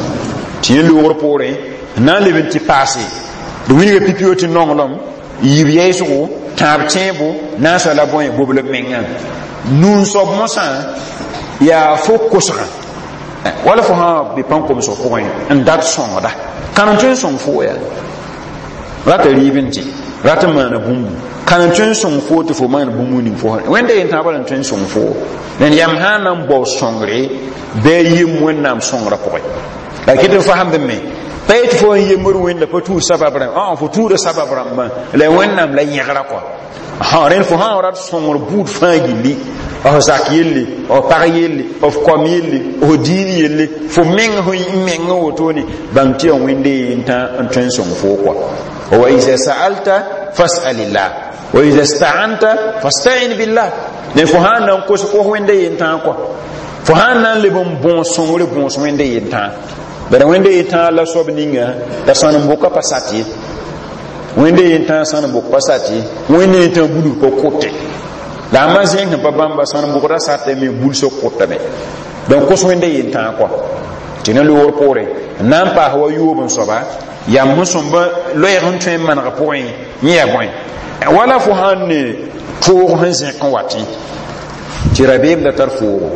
tɩ yẽ loogr poorẽ n na n leb n tɩ paase d wilga pipi tɩ nonglem yib yɛɛsgo tãab tẽebo naasa la bõe boblb mengã nun-soab mosã yaa fo kosgã wala fo sã be pãn-komsg pʋgẽ n dat sõngda kãn n tõe n sõng fo yaa rata rɩɩb n tɩ rat n maana bũmbu kãn n tõe n sõng fo tɩ fo maan bũmb ning fo wẽnda yentãag bala n tõe n sõng fo. Rẽnd yam sã n na n bao sõngre bɩ a yem Wẽnnaam sõngrã pʋgẽ la kɩt n fasemd me pa yetɩ fo n yembd Wẽnda pa tuud sabab rãmb fo tuuda sabab rãmbã la Wẽnnaam la yẽgra kɔa. Rẽnd fo sã n rat sõngr buud fãa gilli f zak yelle, f pag yelle, f kom yelle, f diin yelle, fo meng n meng wotone bãng tɩ yaa wẽnde yentã n tõe n sõng foo kɔa. Wa iza sa'alta fas'alillah wa iza sta'anta fasta'in billah. Ne fo sã n na n kos kos wẽnde yentã kɔa fo sã n na n leb n bõos sõngre bõos wẽnde yentã bara wẽnde yentã la soab ninga la sãn n boka pa sat ye, wẽnde yentã sãn n bok pa sat ye, wẽnde yentã bulg pa kote la a ma zẽng sẽn pa bãmba sãn n bʋgda sata me bulsg kʋtame. Donc kos wẽnde yentã kɔa tɩ ne loogr poorẽ n na n paas wa yoob n soaba yam sẽn sõmba loɛɛg n tõe n maneg pʋgẽ yẽ yaa bõe wala fo sãn ne toog sẽn zẽk n watẽ tɩ rabeem da tar foogo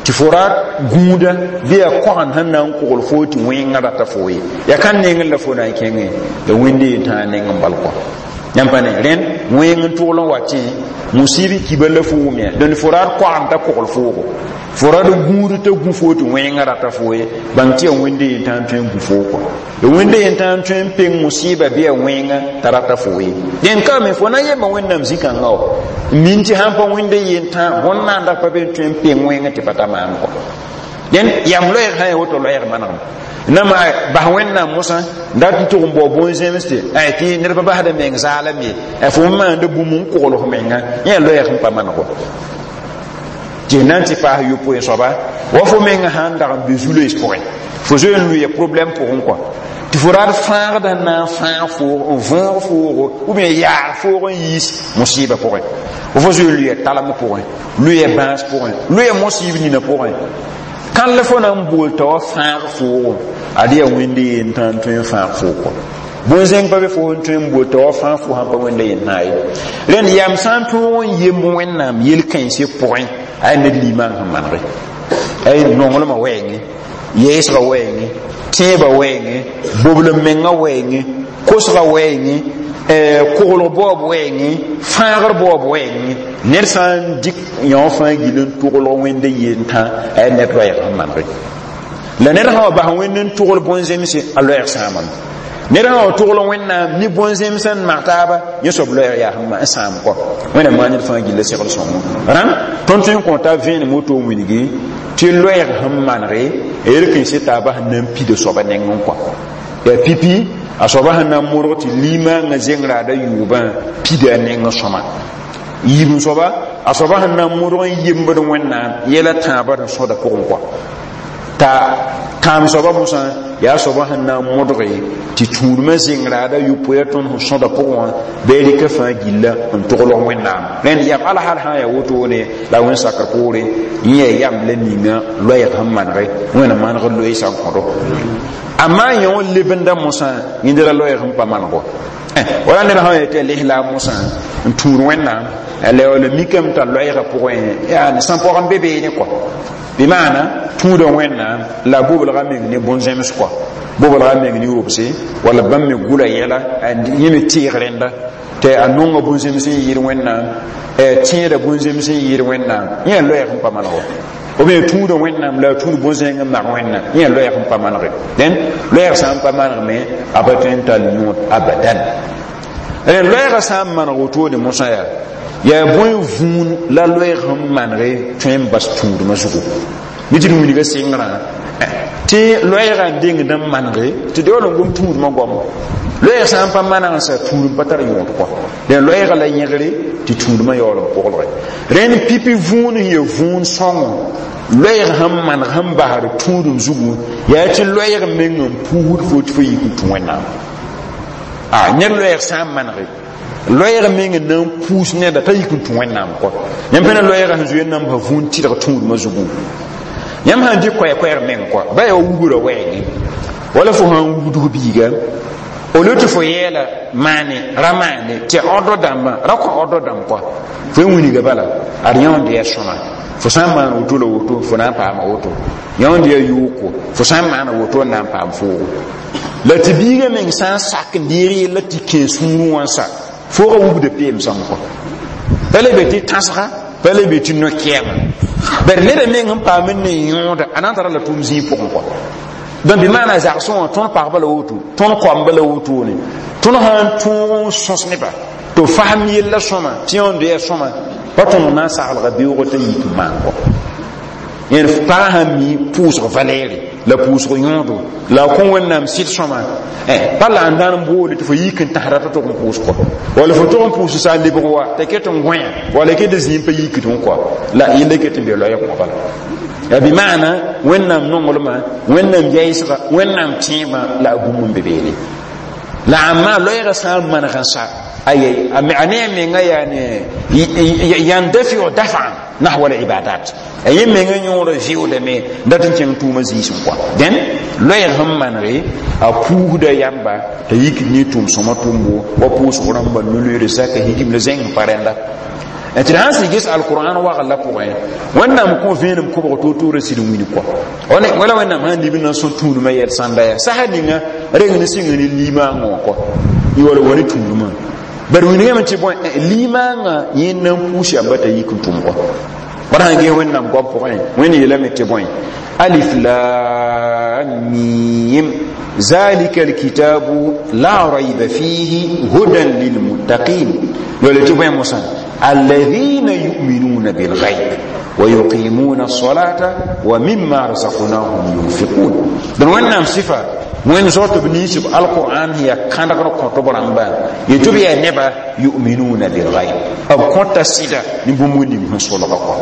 tɩ fo ra gũuda bɩ yaa koagend sẽn na n kogl foo tɩ wẽngã rata foo ye yaa kan nengẽ la fo na n kẽngẽ la wẽnde yentãag neng n bal kɔa yãmb pa ne rẽnd wẽng n togl n watẽ musibi kiba la fo wʋm ya dõnd fo raad koagend t'a kogl foogo fo rad gũud t'a gũ foo tɩ wẽngã rata foo ye bãng tɩ yaa wẽnde yentãag n tõe n gũ foo kɔa la wẽnde yentãag n tõe n peng musiba bɩ yaa wẽngã t'a rata foo ye. Dẽn ka me fo na n yemba Wẽnnaam zĩ-kãngã wa n min tɩ sãn pa wẽnde yentãag bõn-naanda pa be n tõe n peng wẽngã tɩ pa ta maan kɔa. Dẽn yam loɛɛg sã n yaa woto loɛɛg manegem nama bas Wẽnnaam mosã dat n tʋg n bao bõn-zẽmsde tɩ ned pa basda meng zaalem ye fo n maanda bũmb n kogl f menga yẽ loɛɛg sẽn pa maneg wa tɩ na n tɩ paas yopoe soaba wa fo menga sã n dag n be zu-loees pʋgẽ fo zoe n lʋɩ problème pʋgẽ kɔa tɩ fo raad fãagda n na n fãag foog n võog foogo ou bien yaag foog n yiis musɩɩba pʋgẽ fo zoe n lʋɩ talem pʋgẽ lʋɩ bãas pʋgẽ lʋɩ musɩɩb nina pʋgẽ kãn la fo na n bool t'a wa fãag foogo ad yaa wẽnde yentã n tõe n fãag foog kɔ bõn-zẽng pa be fo n tõe n bool t'a wa fãag fo sãn pa wẽnda yentã ye. Rẽnd yam sã n tõog n yemb Wẽnnaam yel-kãensã pʋgẽ a ned limaan sẽn manege ay nonglmã wɛɛngẽ yɛɛsgã wɛɛngẽ tẽebã wɛɛngẽ boblem mengã wɛɛngẽ kosgã wɛɛngẽ koglg baoob wɛɛngẽ fãagr baoob wɛɛngẽ ned sã n dɩk yõ fãa gill n tʋglg wẽnde yentã a ned loɛɛg sẽn manege la ned sã wa bas wẽnd n tʋgl bõn-zemse a loɛɛg sãamame. Ned sã wa togl Wẽnnaam ne bõn-zẽms n mag taaba, yẽ soab loɛɛg yaa sẽn n sãam kɔ. Wẽnnaam maan ned fãa gilla segl sõngo. Rãmb tõnd tõe n kõ t'a vẽenem woto n wilgi tɩ loɛɛg sẽn manege yel kãensã taaba sẽn na n pida soaba nengẽ kɔ. Yaa pipi a soaba sẽn na n modg tɩ limaangã zengraada yʋʋbã pida a nengẽ sõma. Yiib soaba, a soaba sẽn na n modg n yembd Wẽnnaam yɛla tãabã n sõda pʋgẽ kɔ. T'a tãam soaba mosã yaa soaba sẽn na n modge tɩ tũudmã zengraada yʋpoya tõnd sẽn sõda pʋgẽ wã bɩ rɩka fãa gilla n toglg Wẽnnaam. Rẽnd yam al hal sã yaa wotone la wẽn sakr poore yẽ yaa yam la ninga loɛɛg sẽn manege Wẽnnaam maneg loeesã n kõdo. Amma yẽ wã lebenda mosã yẽnd la loɛɛg sẽn pa manego. Wala ned sã yetɩ a lislaam mosã n tũud Wẽnnaam a la wala mikame t'a loɛɛgã pʋgẽ yaa sẽn pɔg n be beene kɔ. Bɩ maana tũuda Wẽnnaam la boblga meng ne bõn-zẽms kɔ, boblga meng ne robse wala bãmb me gʋla yɛla yẽ me teeg rẽnda tɩ a nonga bõn-zẽms n yɩɩd Wẽnnaam, tẽeda bõn-zẽms n yɩɩd Wẽnnaam, yẽ loɛɛg n pa maneg. Ou bien tũuda Wẽnnaam la a tũud bõn-zẽng n mag Wẽnnaam, yẽ loɛɛg n pa manege. Dẽn loɛɛg sã n pa maneg me a pa tõe n tall yõod abadan. Rẽn loɛɛgã sã n maneg wotone mosã yaa yaa bõe vũun la loɛɛg sẽn manege tõe n bas tũudmã zugu mi tɩ d wilga sɩngrã tɩ loɛɛgã n dengd n manege tɩ d yaool n gom tũudmã goamo. Loɛɛg sã n pa maneg n sa tũudm pa tar yõod kɔ. Dẽn loɛɛgã la yẽgre tɩ tũudmã yaool n pʋglge. Rẽnd pipi vũun sẽn ya vũun sõngo loɛɛg sẽn maneg sẽn basd tũudum zugu yaa tɩ loɛɛg meng n puusd fo tɩ fo yik n tũ Wẽnnaam. A ned loɛɛg sã n manege loɛɛg meng n na n puus neda t'a yik n tũ Wẽnnaam kɔ. Yãmb pẽna loɛɛgã sẽn zoe n nan bas vũun tɩdg tũudmã zugu. Yãmb sãn dɩ koɛɛ-koɛɛg meng kɔ ba yaa wubra wɛɛngẽ wala fo sãn wubd f biiga au lieu tɩ fo yɛɛla maane ra maane tɩ ordre dãmbã ra kõ ordre dãmb kɔ fo n wilga bala ad yãond yaa sõma fo sã n maan woto la woto fo na n paama woto, yãond yaa yooko fo sã n maana woto n na n paam foogo la tɩ biiga meng sã n sak n deeg yella tɩ kẽ sũurẽ wã sa foogã wubda peem sõng kɔ pa le be tɩ tãsga pa le be tɩ no-kɛɛma bari neda meng n paam n ne yõoda a na n tara la tʋʋm zĩig pʋgẽ kɔ. Donc bɩ maana zagsẽ wã tõnd pagba la woto, tõnd koamba la wotone, tõnd sã n tõog n sõs neba tɩ fasem yella sõma tɩ yãond yaa sõma pa tõnd na n saglga beoogã t'a yik n maan kɔ. Yẽd pagã sãn mi pʋʋsg valɛɛre la pʋʋsg yõodo la a kõ Wẽnnaam sɩd sõma pa la n dãn n boole tɩ fo yik n tãsda t'a tog n pʋʋs kɔ wala fo tog n pʋʋs sa n lebg wa t'a ket n gõe wala ket zĩig pa yikd n kɔ la yella ket n be loɛɛg wã bala. Yaa bɩ maana Wẽnnaam nonglmã, Wẽnnaam yaɩsga, Wẽnnaam tẽebã la a bũmb n be beene la amma loɛɛgã sã n maneg n sa aye a ne a menga yaa ne yandafiu dafan nahwa al-ibadat a yẽ menga yõora vɩʋʋdame dat n kẽng tʋʋmã zĩisẽ kɔa. Dẽn loɛɛg sẽn manege a puusda yãmba t'a yik ne tʋʋm sõma tʋmbo wa pʋʋsg rãmba no-loeere zaka higim la zẽng pa rẽnda tɩ d sãn sɩ ges alqur'an wagl la pʋgẽ Wẽnnaam kõ vẽenem kobg toor-toorã sɩd n wilg kɔ wala Wẽnnaam sãn lib n na n sõ tũudmã yɛl sãnda yaa sasa ninga reng ne sɩng ne limaangã wã kɔ y wala wa ne tũudmã bari wilgame tɩ bõe limaangã yẽ na n puus yamba t'a yik n tʋm kɔ. Wala sãn ges Wẽnnaam goam pʋgẽ Wẽnd yeelame tɩ bõe alif lam mim zalika alkitabu la rayba fihi hudan lilmuttaqin wala tɩ bõe mosã alladhina yu'minuna bilghayb wa yuqimuna as-salata wa mimma razaqnahum yunfiqun. Donc Wẽnnaam sɩfa wẽnd zao tɩ b ninsb alqur'an yaa kãdgr kõt b rãmba yetɩ b yaa neba yu'minuna bilghayb b kõta sɩda ne bũmb ning sẽn solga kɔ.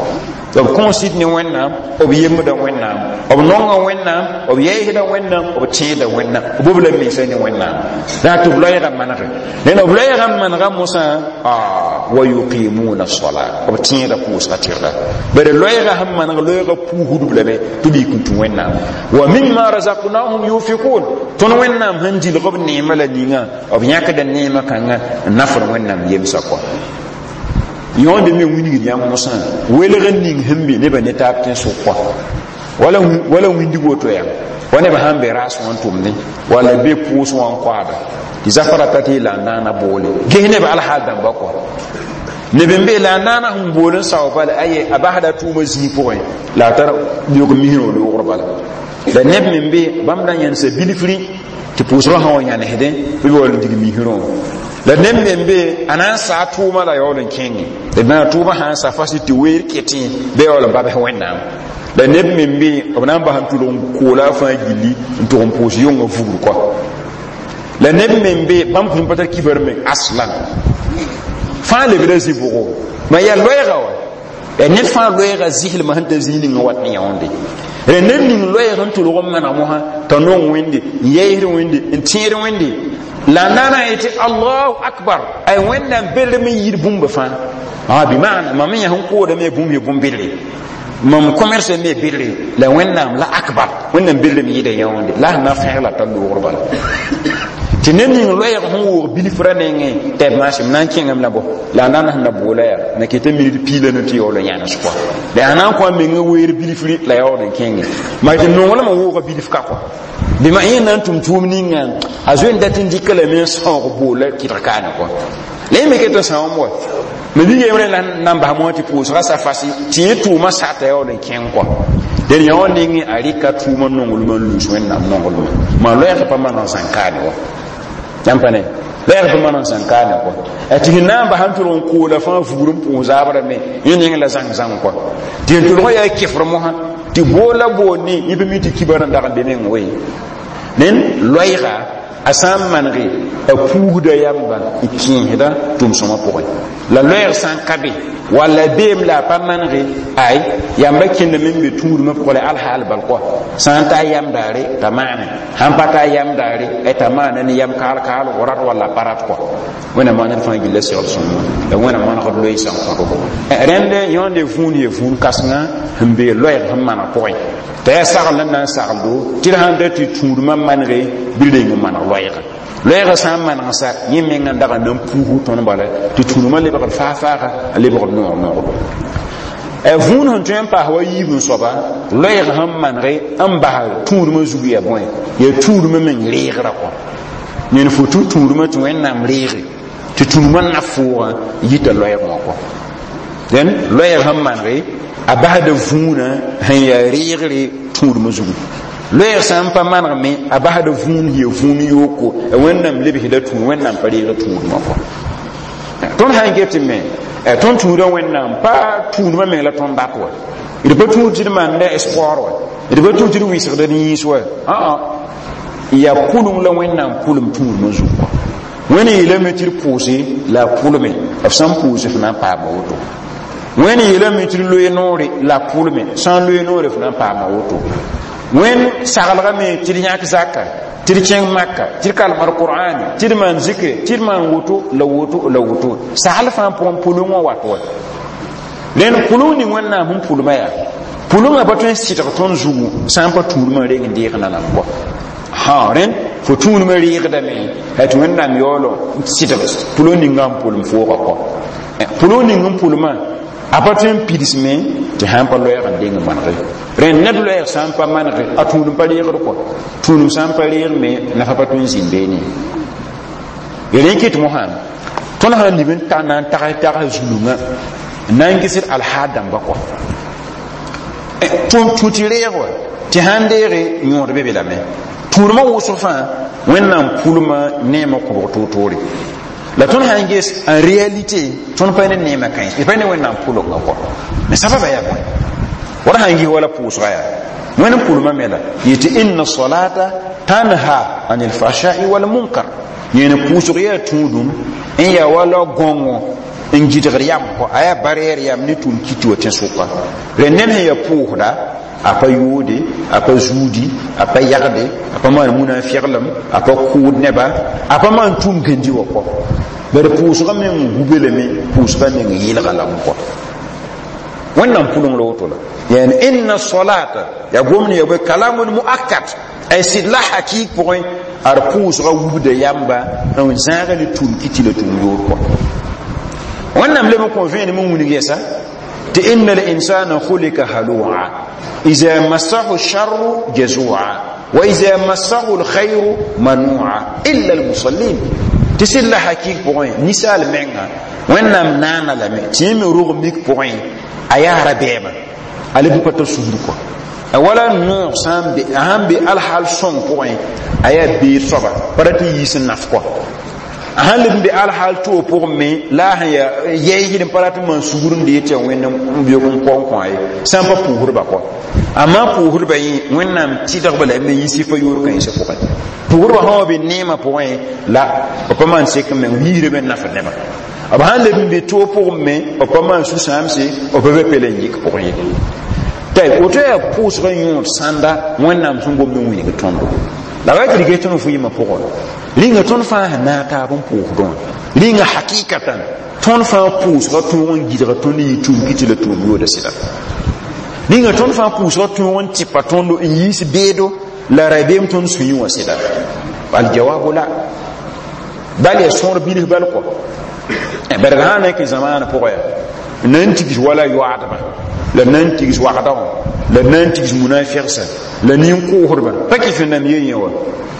B kõ sɩd ne Wẽnnaam, b yembda Wẽnnaam, b nonga Wẽnnaam, b yɛɛsda Wẽnnaam, b tẽeda Wẽnnaam, b bob la mensa ne Wẽnnaam daa tɩ b loɛɛgã manege. Rẽnd b loɛɛgã n manega mosã wa yuqimuna as-salat b tẽeda pʋʋsga tɩrga bari loɛɛgã sẽn maneg loɛɛgã puusdb lame tɩ b yik n tũ Wẽnnaam wa mimma razaqnahum yunfiqun tõnd Wẽnnaam sẽn dilg b neemã la ninga b yãkda neemã kãngã n nafr Wẽnnaam yemsã kɔ. Yõonde me wilgd yãmb mosã welg n ning sẽn be nebã ne taab tẽn-sʋk kɔ wala wala wĩndg woto yaa wa neb sãn be raas wã n tʋmdẽ wala be pʋʋs wã n koaada tɩ zafã rata tɩ la n naana boole ges neb alhaal dãmba kɔ neb n be la n naana sẽn bool n sao bala aye a basda tʋʋmã zĩig pʋgẽ la a tar leoog misrã loogr bala la neb me n be bãmb da yẽnsa bilfri Tɩ pʋʋsgã sã wa yãnesdẽ bɩ b yaool n dig misrẽ. La neb me n be a na n saa tʋʋma la yaool n kẽnge d na tʋʋma sã n sa fas tɩ weer ketẽ bɩ yaool n babs Wẽnnaam. La neb me n be b na n bas n tʋlg n koola a fãa gilli n tʋg n pʋʋs yʋngã vugr kɔa. La neb me n be bãmb kũm pa tar kibar meng aslan fãa lebda zĩ bʋgo ma yaa loɛɛga wa ya ned fãa loɛɛga zɩslmã sẽn ta zĩig ninga wat ne yãonde. Ra ned ning loɛɛg n tʋlg n maneg mosã t'a nong Wẽnde n yɛɛsd Wẽnde n tẽed Wẽnde la n na n yetɩ Allahu akbar ay Wẽnnaam belrem n yir bũmba fãa a bɩ maana mam yã sẽn koodame bũmb ye bũmb-bedre mam commerce me bedre la Wẽnnaam la akbar Wẽnnaam belrem yɩda yãonde la sẽn na fẽeg la tar loogr bala tɩ ned ning loɛɛg sẽn woog bilfrã nengẽ tɩ b maasem na n kẽngame la bõ la a na n sẽn na boola yaa na ket minit piila no tɩ yaool n yãnes kɔa la yaa na n kõ a mengã weer bilfri la yaool n kẽnge maa tɩ nonglmã wooga bilf ka kɔa bɩ ma yẽ na n tʋm tʋʋm ninga a zoe n dat n dɩka lame n sãoog boola kɩdg kaane kɔa la yẽ me ket n sãoom wa ma bi yembre la n bas moã tɩ pʋʋsga sa fasi tɩ yẽ tʋʋmã sata yaool n kẽng kɔa dẽn yã wã nengẽ a rɩka tʋʋmã nonglmã n lus Wẽnnaam nonglmã maa loɛɛg pa maneg zãn kaane wa yãmb pa ne loɛɛg pa maneg zãn kaane kɔa tɩ sẽn na n bas n tʋlg n koola fãa vugr n pʋʋs zaabrã me yẽ neng la zãng zãng kɔa tɩ n tʋlg yaa kefr mosã tɩ boola boond ne yẽ pa mi tɩ kibar n dag n be meng we nen loɛɛga a sã n manege a puusda yamba n kẽesda tʋm-sõma pʋgẽ la loɛɛg sã n ka be walla beem la a pa manege ay yamba kẽndame n be tũudmã pʋgẽ la alhaal bal kɔa sã n ta a yam daare t'a maane sãn pa ta a yam daare t'a maana ne yam kaal kaalgo rat walla pa rat kɔa. Wẽnnaam maan ned fãa gilla segl sõma la Wẽnnaam manegd loeesã n kõdo rẽnd yõnde vũun ye vũun kãsengã sẽn bee loɛɛg sẽn maneg pʋgẽ t'a yaa sagl n na n sagldo tɩ d sãn da tɩ tũudmã manege bɩ reng n maneg loɛɛga loɛɛga sã n maneg sa yẽ mengã n dag n na n puus tõnd bala tɩ tũudmã lebgd faag-faaga a lebgd noog noogdo vũun sẽn tõe n paas wa yiib n soaba loɛɛg sẽn manege n bas tũudmã zug yaa bõe yaa tũudmã meng reegrã kɔ ned fo tũ tũudmã tɩ Wẽnnaam reege tɩ tũudmã na foogã yita loɛɛg wã kɔ dẽn loɛɛg sẽn manege a basda vũunã sẽn yaa reegre tũudmã zugu loɛɛg sã n pa maneg me a basda vũun yaa vũun yooko Wẽnnaam lebsda tũud Wẽnnaam pa reeg tũudmã kɔ tõnd sã n get me tõnd tũudã Wẽnnaam pa tũudmã meng la tõnd dat wa d pa tũud tɩ d maanda sport wa d pa tũud tɩ d wɩsgda d yĩns wa aa yaa pʋleng la Wẽnnaam pʋlem tũudmã zug kɔ Wẽnd yeelame tɩ d pʋʋse la a pʋlme b sã n pʋʋse f na n paama woto Wẽnd yeelame tɩ d loe noore la a pʋlme sã n loe noore f na n paama woto Wẽnd saglgame tɩ d yãk zaka tɩ d kẽng Maka tɩ d kalmd Qur'ane tɩ d maan zikre tɩ d maan woto la woto la woto sagl fãa pʋgẽ pʋleng wã wat wa rẽnd pʋleng ning Wẽnnaam sẽn pʋlmã yaa pʋlengã pa tõe n sɩdg tõnd zugu sã n pa tũudmã reng n deeg nanam kɔ ha rẽnd fo tũudmã reegdame tɩ Wẽnnaam yaoolo n sɩdg pʋleng ninga n pʋlem foogã kɔ pʋleng ning n pʋlmã a pa tõe n pidsme tɩ sã n pa loɛɛg n deng manege rẽnd ned loɛɛg sã n pa manege a tũudem pa reegd kɔ tũudem sã n pa reeg me nafa pa tõe n zĩnd beene rẽ kɩt mosã tõnd sã n lib n ta na n tags tags zulungã n na n gesd alhaal dãmba kɔ tũ tɩ reeg wa tɩ sã n deege yõod be be lame tũudmã wʋsg fãa Wẽnnaam pʋlmã neemã kobg toor-toore la tõnd sã n ges en réalité tõnd pa ne neemã kãens d pa ne Wẽnnaam pʋlenga kɔ me sababa yaa bõe wala sã n gis wala pʋʋsga yaa Wẽnd pʋlmã me la yetɩ inna salata tanha anil fashai wal munkar yẽne pʋʋsg yaa tũudum n yaa wala gõngo n gɩdgd yam kɔ a yaa barɛɛr yam ne tʋʋm kiti wa tẽ-sʋka rẽ ned sẽn yaa pʋʋsda a pa yoode a pa zuudi a pa yagde a pa maan munafɩglem a pa kʋʋd neba a pa maan tʋʋm gãndi wa kɔ bari pʋʋsga meng gube lame pʋʋsga meng yɩlga lame kɔ Wẽnnaam pʋleng la woto la yani inna salata ya gomn ya bõe kalamun muakkad ay sɩd la hakik pʋgẽ ad pʋʋsga wubda yamba n zãaga ne tʋʋm kiti la tʋʋm yoor kɔ Wẽnnaam leb n kõ vẽenem n wilg yɛsa tɩ inna al-insana khuliqa halua iza massahu sharru jazua wa iza massahu alkhayru manua illa almusallin tɩ sɩd la hakik pʋgẽ ninsaal menga Wẽnnaam naana lame tɩ yẽ me rog mik pʋgẽ a yaa rabeema a leb n pa tar sugr kɔ Wala noog sã n be a sãn be alhaal sõng pʋgẽ, a yaa beed soaba, pa rat n yiis n naf kɔ. A sãn leb n be alhaal toog pʋgẽ me, la a sẽn yaa yɛɛsd n pa rat n maan sugr n dee tɩ yaa Wẽnd n beoog n kao n kõ ye, sã n pa pʋʋsdba kɔ. Amma pʋʋsdba yẽ, Wẽnnaam tɩdgba la me yɩ sɩfa yoor kãensã pʋgẽ. Pʋʋsdba sã wa be neemã pʋgẽ, la b pa maan sek n meng yiisdame n nafd nebã. B sãn leb n be toog pʋgẽ me, b pa maan sũ-sãamse, b pa be pela n yik pʋgẽ ye. Tɩ woto yaa pʋʋsgã yõod sãnda Wẽnnaam sẽn gomd n wilg tõndo. La wa tɩ d ges tõnd vɩɩmã pʋgẽ, rĩnga tõnd fãa sẽn naag taab n pʋʋsdẽ wã, rĩnga hakikatan tõnd fãa pʋʋsgã tõog n gɩdga tõnd yɩ tũum kɩtɩ la tũum yooda sɩda. Rĩnga tõnd fãa pʋʋsgã tõog n tɩpa tõndo n yiis beedo la rabeem tõnd sũyẽ wã sɩda. Aljawabu la, bal yaa sõor bilf bal kɔ. Barg sã n na kẽ zamaanã pʋgã, yaa na n tigs wala yoaadbã, la na n tigs wagda wã, la na n tigs munafigsã, la nin-kʋʋsdbã pa kɩf n nam ye yẽ wa.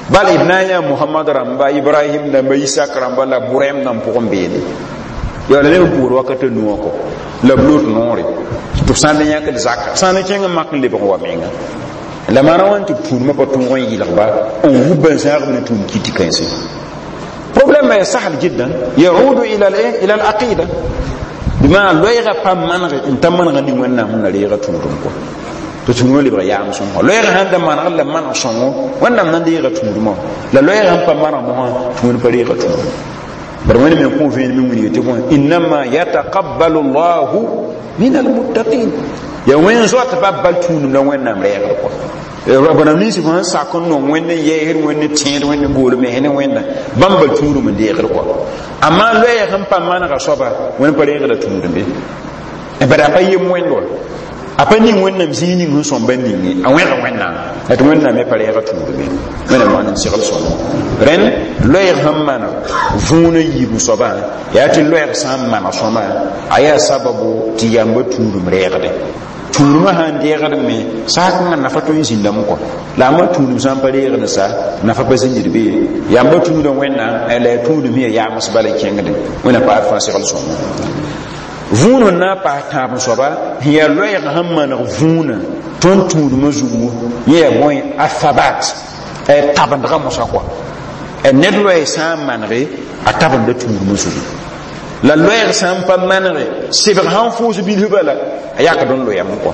Bal d na n yaa Mohamad rãmba, Ibrahim rãmba, Isak rãmba la bʋrɛm nan pʋgẽ beene yaa la neb n pʋʋsd wakat a nu wã kɔ, la b lot noore tɩ b sã n da yãkd zaka, sã n kẽng n mak n lebg n wa menga. La maana wãn tɩ tũudmã pa tõog n yɩlgba n wub n zãagb ne tũud kɩtɩ kãense? Problème ya sahal jiddan, yaudu ila ila al-aqida, bima loɛɛga pa maneg n ta manega ning Wẽnnaam sẽn na reega tũudum kɔ, tɩ tũudmã lebg yaam sõngo. Loɛɛga sãn da maneg la maneg sõngo, Wẽnnaam na n deega tũudmã. La loɛɛga sẽn pa maneg mosã, tɩ Wẽnd pa reega tũudum. Bara Wẽnd me kõ vẽenem n wilga tɩ bõe: innama yataqabbalu llahu min almuttaqin. Ya wẽn zoatba bal tũudum la Wẽnnaam reegd kɔ. Rab nins fo sẽn sak n nong Wẽnd n yɛɛsd, Wẽnd n tẽed, Wẽnd n bool mens ne Wẽnda, bãmb bal tũudum n deegd kɔ. Amma loɛɛg n pa manega soaba, Wẽnd pa reegda tũudum be. Bara a pa yem Wẽnd wa, a pa ning Wẽnnaam zĩig ning sẽn sõmba ning ye, a wẽga Wẽnnaam la tɩ Wẽnnaam me pa reega tũudum be. Wẽnnaam maan n segl sõma. Rẽnd loɛɛg sẽn maneg võona yiibẽ soabã, yaa tɩ loɛɛg sã n maneg sõma, a yaa sababu tɩ yamba tũudum reegde. Tũudmã sãn deegd me, saakẽngã nafa tõe n zĩndame kɔ. La a ma tũudum sã n pa reegd sa, nafa pa zĩnd be. Yamba tũuda Wẽnnaam la yaa tũudum ya yaams bala kẽngde. Wẽnnaam paad fãa segl sõma. Võon n na n paas tãab soaba sẽn yaa loɛɛg sẽn maneg võona tõnd tũudmã zugu, yẽ yaa bõe? A thabat, tabendga mosã kɔa. Ned loɛɛ sã n manege, a tabenda tũudmã zugu. La loɛɛg sã n pa manege, sebg sãn fʋʋs bilf bala, a yakd n loyame kɔ.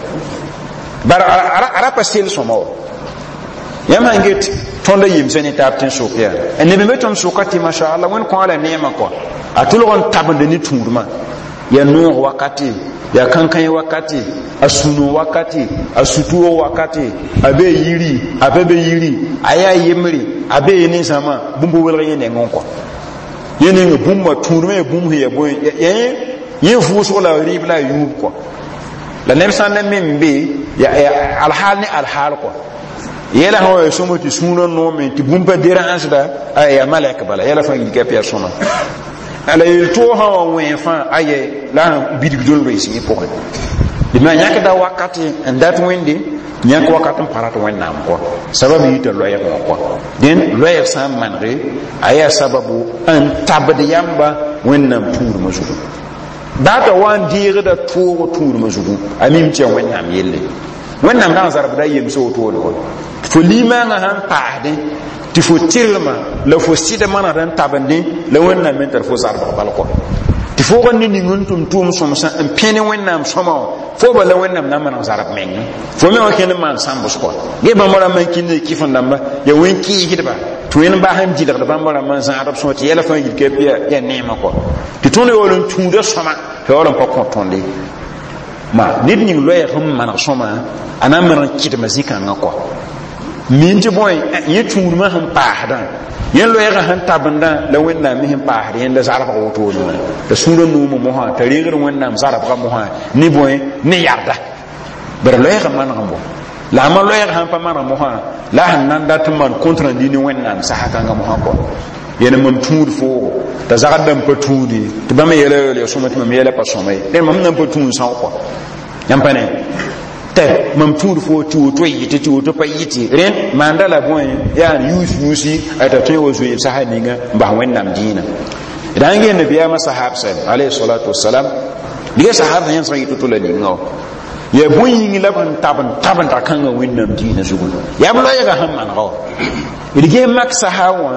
Bara a ra pa sel sõma wa. Yãmb sãn get tõnd a yemsã ne taab tẽn-sʋk, yaa neb n be tõnd sʋka tɩ masha Allah, Wẽnd kõ a la neemã kɔ, a tʋlg n tabend ne tũudmã, ya noog wakati, ya kankãe wakati, a sũno wakati, a sutuo wakati, a be yiri, a pa be yiri, a yaa yembre, a be ne zãma bũmb welg yẽ nengẽ kɔ. Yẽ ning bũmba tũudmã ya bũmb sẽn ya bõe, yẽ vʋʋsg la rɩɩb la a yũub kɔ. La neb sã n na me n be alhaal ne alhaal kɔ, yɛla sã wa ya sõma tɩ sũurã noome tɩ bũmb pa derãasda, a yaa malɛk bala, yɛla fãa yilka p yaa sõma. La yel-toog sã wa wẽ fãa, aye la sẽn bidg dol loees yẽ pʋgẽ. Dɩ yãkda wakati n dat Wẽnde, yãk wakat n pa rat Wẽnnaam kɔ, sabab yita loɛɛg wã kɔ. Dẽn loɛɛg sã n manege, a yaa sababu n tabd yamba Wẽnnaam tũudmã zugu. Baata wa n deegda toog tũudmã zugu, a mim tɩ yaa Wẽnnaam yelle. Wẽnnaam dag n zarbda yemsa wotone wa. Fo limaangã sãn paasdẽ tɩ fo tɩrlmã la fo sɩd manegd n tabendẽ la Wẽnnaam me tar fo zarbg bal kɔ. Tɩ foog n ne ning n tʋm tʋʋm sõmsã n pẽ ne Wẽnnaam sõma wã, fo bala Wẽnnaam na n maneg zarb meng. Fo me wã kẽnd n maan sãmbs kɔ. Ge bãmb rãmbã n kĩnd kɩf n dãmba yaa wẽn kɩɩsdba tɩ Wẽnd bas n dɩlgd bãmb rãmbã n zãadb sõma tɩ yɛla fãa yilka yaa neemã kɔ. Tɩ tõnd yaool n tũuda sõma tɩ yaool n pa kõ tõnde. Ma ned ning loɛɛg sẽn maneg sõma, a na n maneg n kɩdma zĩ-kãngã kɔ. Min tɩ bõe, yẽ tũudmã sẽn paasdã, yẽ loɛɛgã sẽn tabendã la Wẽnnaam me sẽn paasd yẽnda zarbg wotone wã. La sũurã noomã mosã t'a reegd Wẽnnaam zarbgã mosã ne bõe? Ne yarda. Bara loɛɛgã maneg n bɔ. La a ma loɛɛg sãn pa maneg mosã, la a sẽn na n dat n maan compte rendu ne Wẽnnaam sasa kãngã mosã kɔ. Yẽne mam tũud foogo t'a zagd n pa tũudi tɩ bãmb yɛla yaool ya sõma tɩ mam yɛla pa sõma ye. Dẽ mam nan pa tũud são kɔ. Yãmb pa ne tɩ mam tũud fo tɩ woto yɩtɩ, tɩ woto pa yɩtɩ. Rẽnd maanda la bõe? Yaa yuus yuusi t'a tõe wa zoeeb sasa ninga n bas Wẽnnaam dĩinã. D sãn gee nabiyaamã sahab sɛm alayhi salatu wasalam, diga sahab sã yẽm sã yɩ to-to la ninga wã. Yaa bõe yĩng la b sẽn tab n tabenda kãngã Wẽnnaam dĩinã zugu? Yaa b loɛɛgã sẽn manega wã. D ges mak sahab wã,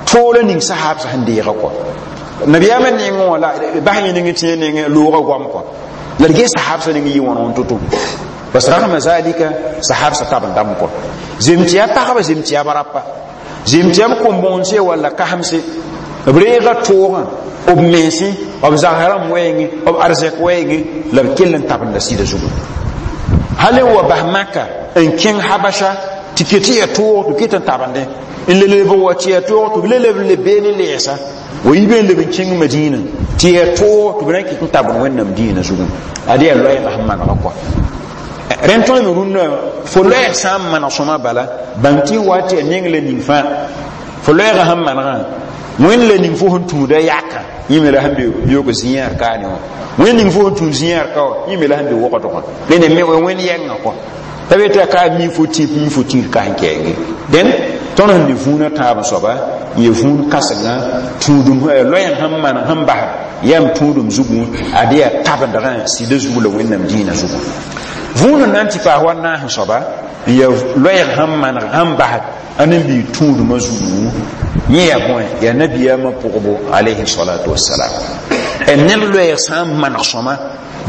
toora ning sahab sẽn deega kɔ nabiyaamã nengẽ wã la bas yẽ ning tẽ nengẽ loogã goam kɔ. La d ges sahab sã ning yɩ wãn wãn to-to bas ragma zalika sahab sã tab n dam kɔ zem tɩ yaa pagba, zem tɩ yaa barapa, zem tɩ yaa b kom-bõonse walla kasemse, b reega toogã b mense, b zagsã rãmb wɛɛngẽ, b arzɛk wɛɛngẽ, la b kell n tabenda sɩda zugu. Hal n wa bas Maka n kẽng Habasha tɩ ket tɩ ya toog tɩ b ket n tabendẽ, n le leb n wa tɩ ya toog tɩ b le leb n le beene lɛɛsa wa yi be n leb n kẽng Madina tɩ ya toog tɩ b na n ket n tabend Wẽnnaam dĩinã zugu. Ad yaa loɛɛgã sẽn manega kɔa. Rẽnd tõe me rũnnã, fo loɛɛg sã n maneg sõma bala, bãng tɩ wa tɩ ya neng la ning fãa fo loɛɛgã sẽn manegã, Wẽnd la ning fo sẽn tũuda yaka yẽ me la sẽn be yoog zĩ-yãar kaane wã. Wẽnd ning fo sẽn tũud zĩ-yãar ka wã, yẽ me la sẽn be wogdgã rẽnd me Wẽnd yɛngã kɔ t'a be tɩ a ka mi fo tĩp, mi fo tĩir ka sẽn kɛɛnge. Dẽn tõnd sẽn ne vũunã tãab soaba n ya vũun kãsengã tũudum loɛɛg sẽn maneg sẽn basd yam tũudum zugu, ad yaa tabendgã sɩda zugu la Wẽnnaam dĩinã zugu. Vũun n na n tɩ paas wa naas n soaba n ya loɛɛg sẽn maneg sẽn basd a nin-biig tũudmã zugu, yẽ yaa bõe? Yaa nabiyaamã pʋgbo alayhi salatu wasalam. Ned loɛɛg sã n maneg sõma,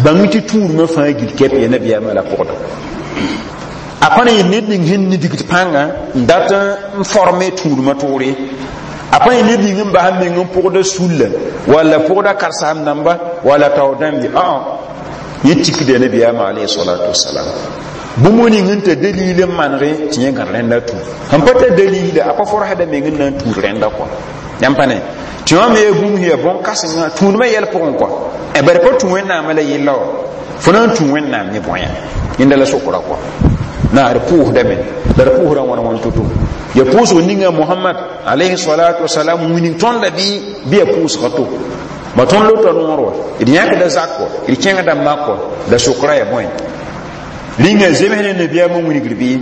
bãng tɩ tũudmã fãa gil kɛp ya nabiyaamã la pʋgda. A pa na yɩ ned ning sẽn nidgd pãnga n dat n forme tũudmã toore, a pa yɩ ned ning n bas n meng n pʋgda sulla walla pʋgda karsaam dãmba walla tao dãmb ye. Ã yẽ tikda nabiyaamã alayhi salatu wasalam bũmb ning n ta dalil n manege tɩ yẽ gãd rẽnda tũ sẽn pa tar dalila, a pa forsda meng n na n tũud rẽnda kɔa. Yãmb pa ne tɩ wã me yaa bũmb sẽn yaa bõn-kãsengã tũudmã yɛl pʋgẽ kɔa. Bari pa tũ Wẽnnaamã la yella wã, fo na n tũ Wẽnnaam ne bõe yẽnda la sokra kɔa. Na d pʋʋsdame la d pʋʋsdã wãn wãn to-to ya pʋʋsg ninga Mohamad alayhi salatu wasalam wilg tõnda bɩ bɩ ya pʋʋsga to ma tõnd lota noor wa, d yãkda zak wa, d kẽngda mak wa, la sokra ya bõe rĩnga zems ne nabiyaamã wilgr bɩ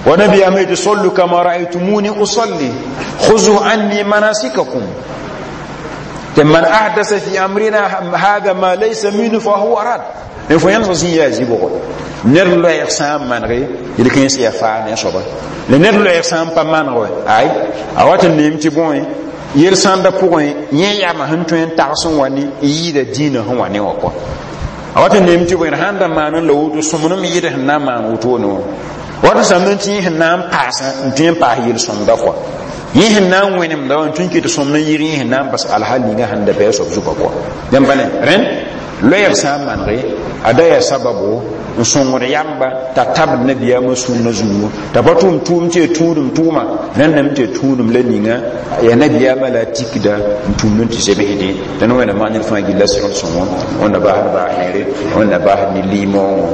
wa nabiyaamã yetɩ sallu kama raaytumuni usalli khuzu anni manasikakum, tɩ man ahdasa fi amrina hada ma laysa minhu fa huwa rad. Ne fo yãmb sẽn yaa zibgo ned loɛɛg sã n manege yel-kãens yaa faa ne soaba la ned loɛɛg sã n pa maneg wa, ay a wat n neem tɩ bõe yel sãnda pʋgẽ yẽ yama sẽn tõe n tags n wa ne n yɩɩda dĩinã sẽn wa ne wã kɔa. A wat n neem tɩ bõe sãn da maan n la woto sõmnem yɩd sẽn na n maan wotone wã, wat n sãmb n tɩ yẽ sẽn na n paasã n tõe n paas yel-sõmda kɔa, yẽ sẽn na n wẽnemda wã n tõe n ket sõmd n yɩg yẽ sẽn na n bas alhal ninga sẽn da bɩ a soab zugã kɔa. Yãmb pa ne rẽnd loɛɛg sã n manege a da yaa sababo n sõngd yamba t'a tabd nabiyaamã sũurnã zugu, t'a pa tʋʋm tʋʋm tɩ ya tũudum tʋʋma rẽndame tɩ ya tũudum la ninga ya nabiyaamã la a tikda n tũud n tɩ zebsdẽ. Tɩ Wẽnnaam maan ned fãa gilla segl sõngo, Wẽnna basd baasẽere, Wẽnna basd ne liimoongõ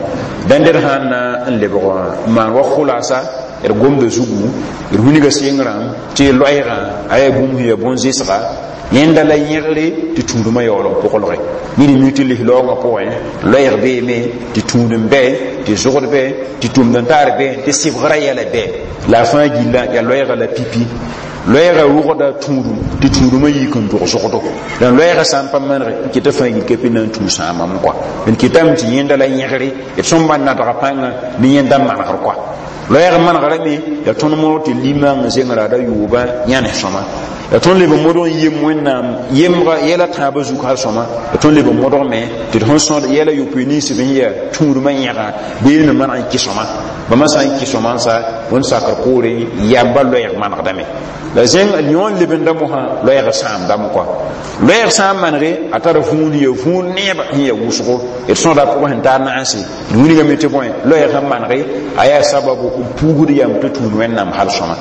dãn d sãn na n lebg n maan wa khʋlasa d gomda zugu, d wilga sengrã tɩ loɛɛgã a yaa bũmb sẽn yaa bõn-zẽsga yẽnda la yẽgre tɩ tũudmã yaool n pʋglge ned mi tɩ lis-laoongã pʋgẽ loɛɛg beeme tɩ tũudem bɛ, tɩ zogd bɛ, tɩ tʋmd n taar bɛ, tɩ sɩbgrã yɛla bɛ, la a fãa gilla yaa loɛɛgã la pipi loɛɛgã rʋgda tũudum tɩ tũudumã yik n dog zogdo. La loɛɛgã sã n pa manege n keta fãa gil ka na n tũu sãamam kɔa d ketame tɩ yẽnda la yẽgre d sõmba nadga pãnga ne yẽnda manegr kɔa. Loɛɛg manegrame yaa tõnd modg tɩ limãng zengrã da yʋʋbã yãnes sõma, yaa tõnd leb n modg n yem Wẽnnaam yemga yɛla tãabã zug hal sõma, yaa tõnd leb n modg me tɩ d sẽn sõd yɛla yopoe ninsb sẽn yaa tũudmã yẽga bee me maneg n kɩ sõma bãmba sã n kɩ sõma n sa Wẽnd sakr poore yamba loɛɛg manegdame la zẽng yõ n lebenda mosã loɛɛg sãamdame kɔa. Loɛɛg sã n manege a tara vũun ya vũun neeba sẽn ya wʋsgo d sõda pʋgẽ sẽn tar naanse d wilgame tɩ bõe loɛɛg sẽn manege a yaa sababu n puugd yam tɩ tũud Wẽnnaam hal sõma.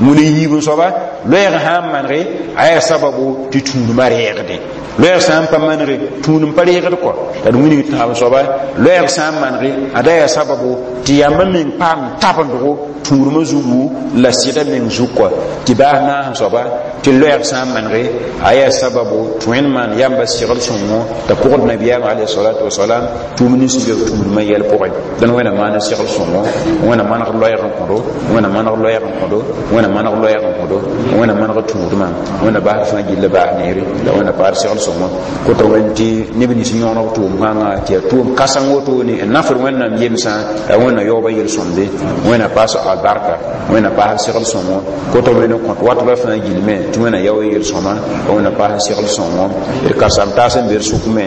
Wũni yiib n soaba loɛɛg sã n manege a yaa sababu tɩ tũudmã reegdẽ. Loɛɛg sã n pa manege tũudem pa reegd kɔ la d wilg tãab soaba loɛɛg sã n manege a da yaa sababu tɩ yambã meng paam tabendgo tũudmã zugu la sɩda meng zug kɔ. Tɩ baas naas n soaba tɩ loɛɛg sã n manege a yaa sababu tɩ Wẽnd maan yamba segl sõngo t'a pʋgd nabiyaamã alayhi salatu wasalam tʋʋm nins b tũudmã yɛl pʋgẽ. Dẽn Wẽnna maan segl sõngo, Wẽnna maneg loɛɛga. loɛɛg n kõdo. Wẽnna maneg loɛɛg n kõdo. Wẽnna maneg loɛɛg n kõdo. Wẽnna maneg tũudmã. Wẽnna basd fãa gilla baas neere la wẽnna paad segl sõngo kota wẽnd tɩ neb nins yõoneg tʋʋm kãngã tɩ yaa tʋʋm kãseng wotone n nafd Wẽnnaam yemsã. La Wẽnna yaooba yel-sõmde, Wẽnna paas albarka, Wẽnna paas segl sõngo. Kota wẽnd n kõt watbã fãa gilme tɩ Wẽnna yao yel-sõma, Wẽnna paas segl sõngo. D karsam taas n be d sʋk me,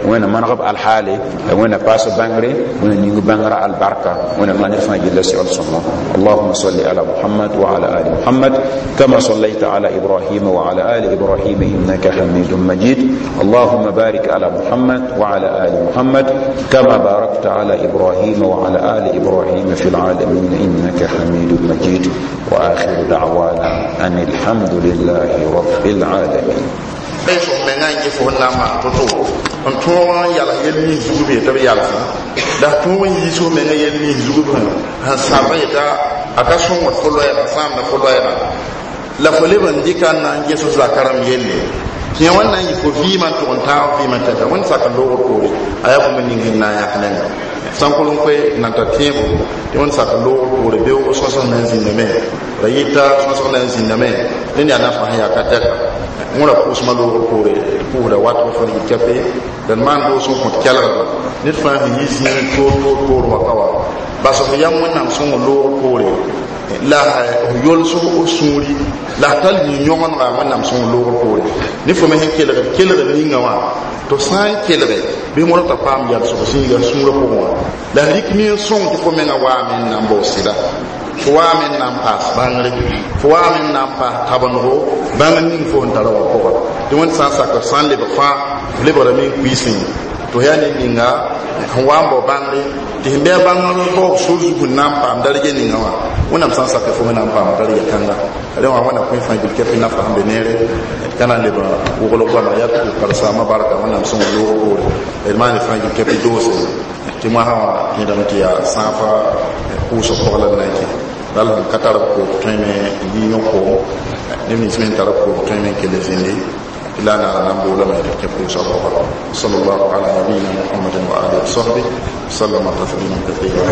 Wẽnna maneg b alhaale, la Wẽnna paas bãngre, Wẽnna ning bãngrã albarka. Wẽnna maan d fãa gilla segl sõngo. اللهم صل على محمد وعلى آل محمد كما صليت على إبراهيم وعلى آل إبراهيم إنك حميد مجيد. اللهم بارك على محمد وعلى آل محمد كما باركت على إبراهيم وعلى آل إبراهيم في العالمين إنك حميد مجيد. وآخر دعوانا أن الحمد لله رب العالمين. Fo menga n fo na maan to-to n tõog n yals yel nins zug b yetɩ b yalsẽ la tõog n yiis fo menga yel nins zug b sẽn sãb yeta a ka sõngd fo loɛɛga, sãamda fo loɛɛga, la fo leb n dɩka n na n ges f zaka rãmb yelle tɩ yã wãn na n yɩ fo vɩɩmã n tʋg n taag vɩɩmã tɛka. Wẽnd sak n loogr poore a yaa bũmb ning sẽn na n yãk nengã sãnkol n koe nan ta tẽebo tɩ wẽnd sak n loogr poore beoog sõsg na n zĩndame ra yɩta sõsg na n zĩndame ned yaa nafa sẽn yaa ka tɛka wẽra pʋʋsmã loogr poore pʋʋsda wat fo yɩ kɛpe d maan doos n kõt kelgdba ned fãa sẽn yi zĩig toor toor toor wã ka wa bas f yam Wẽnnaam sõng loogr poore la f yols f sũuri la f tall yĩ-yõgendga Wẽnnaam sõng loogr poore ne fo me sẽn kelgd kelgd ninga wã tɩ f sã n kelge bɩ modg t'a paam yalsg zĩiga sũurã pʋgẽ wã la f rɩk mi n sõng tɩ fo menga waame n na n bao sɩda, fo waame n na n paas bãngre, fo waame n na n paas tabendgo bãng ning fo sẽn tara wã pʋga. Tɩ Wẽnd sã n sak f sã n lebg fãa f lebgrame n kuiisẽ tɩ f yaa ned ninga sẽn wa n bao bãngre tɩ sẽn bɩ a bãngr baoog sor zug n na n paam darga ninga wã. Wẽnnaam sã n sak fo me na n paam darga kãnga rẽ wã. Wẽnna kõ fãa gil kɛpɩ nafa sẽn be neere d ka na n leb wogl goama yaa tɩ karsaamã barka Wẽnnaam sõng loog poore d maan fãa gil kɛpɩ doose tɩ moasã wã tẽedame tɩ yaa sãafa pʋʋsg pʋg la d na n kẽ bal sẽn ka tar b koom tõeme n yi yõ koom neb nins me sẽn tar b koom tõeme n kell zĩndi tɩ la naara na n boolame tɩ kẽ pʋʋsga pʋga. صلى الله على نبينا محمد وآله وصحبه وسلم تسليما كثيرا.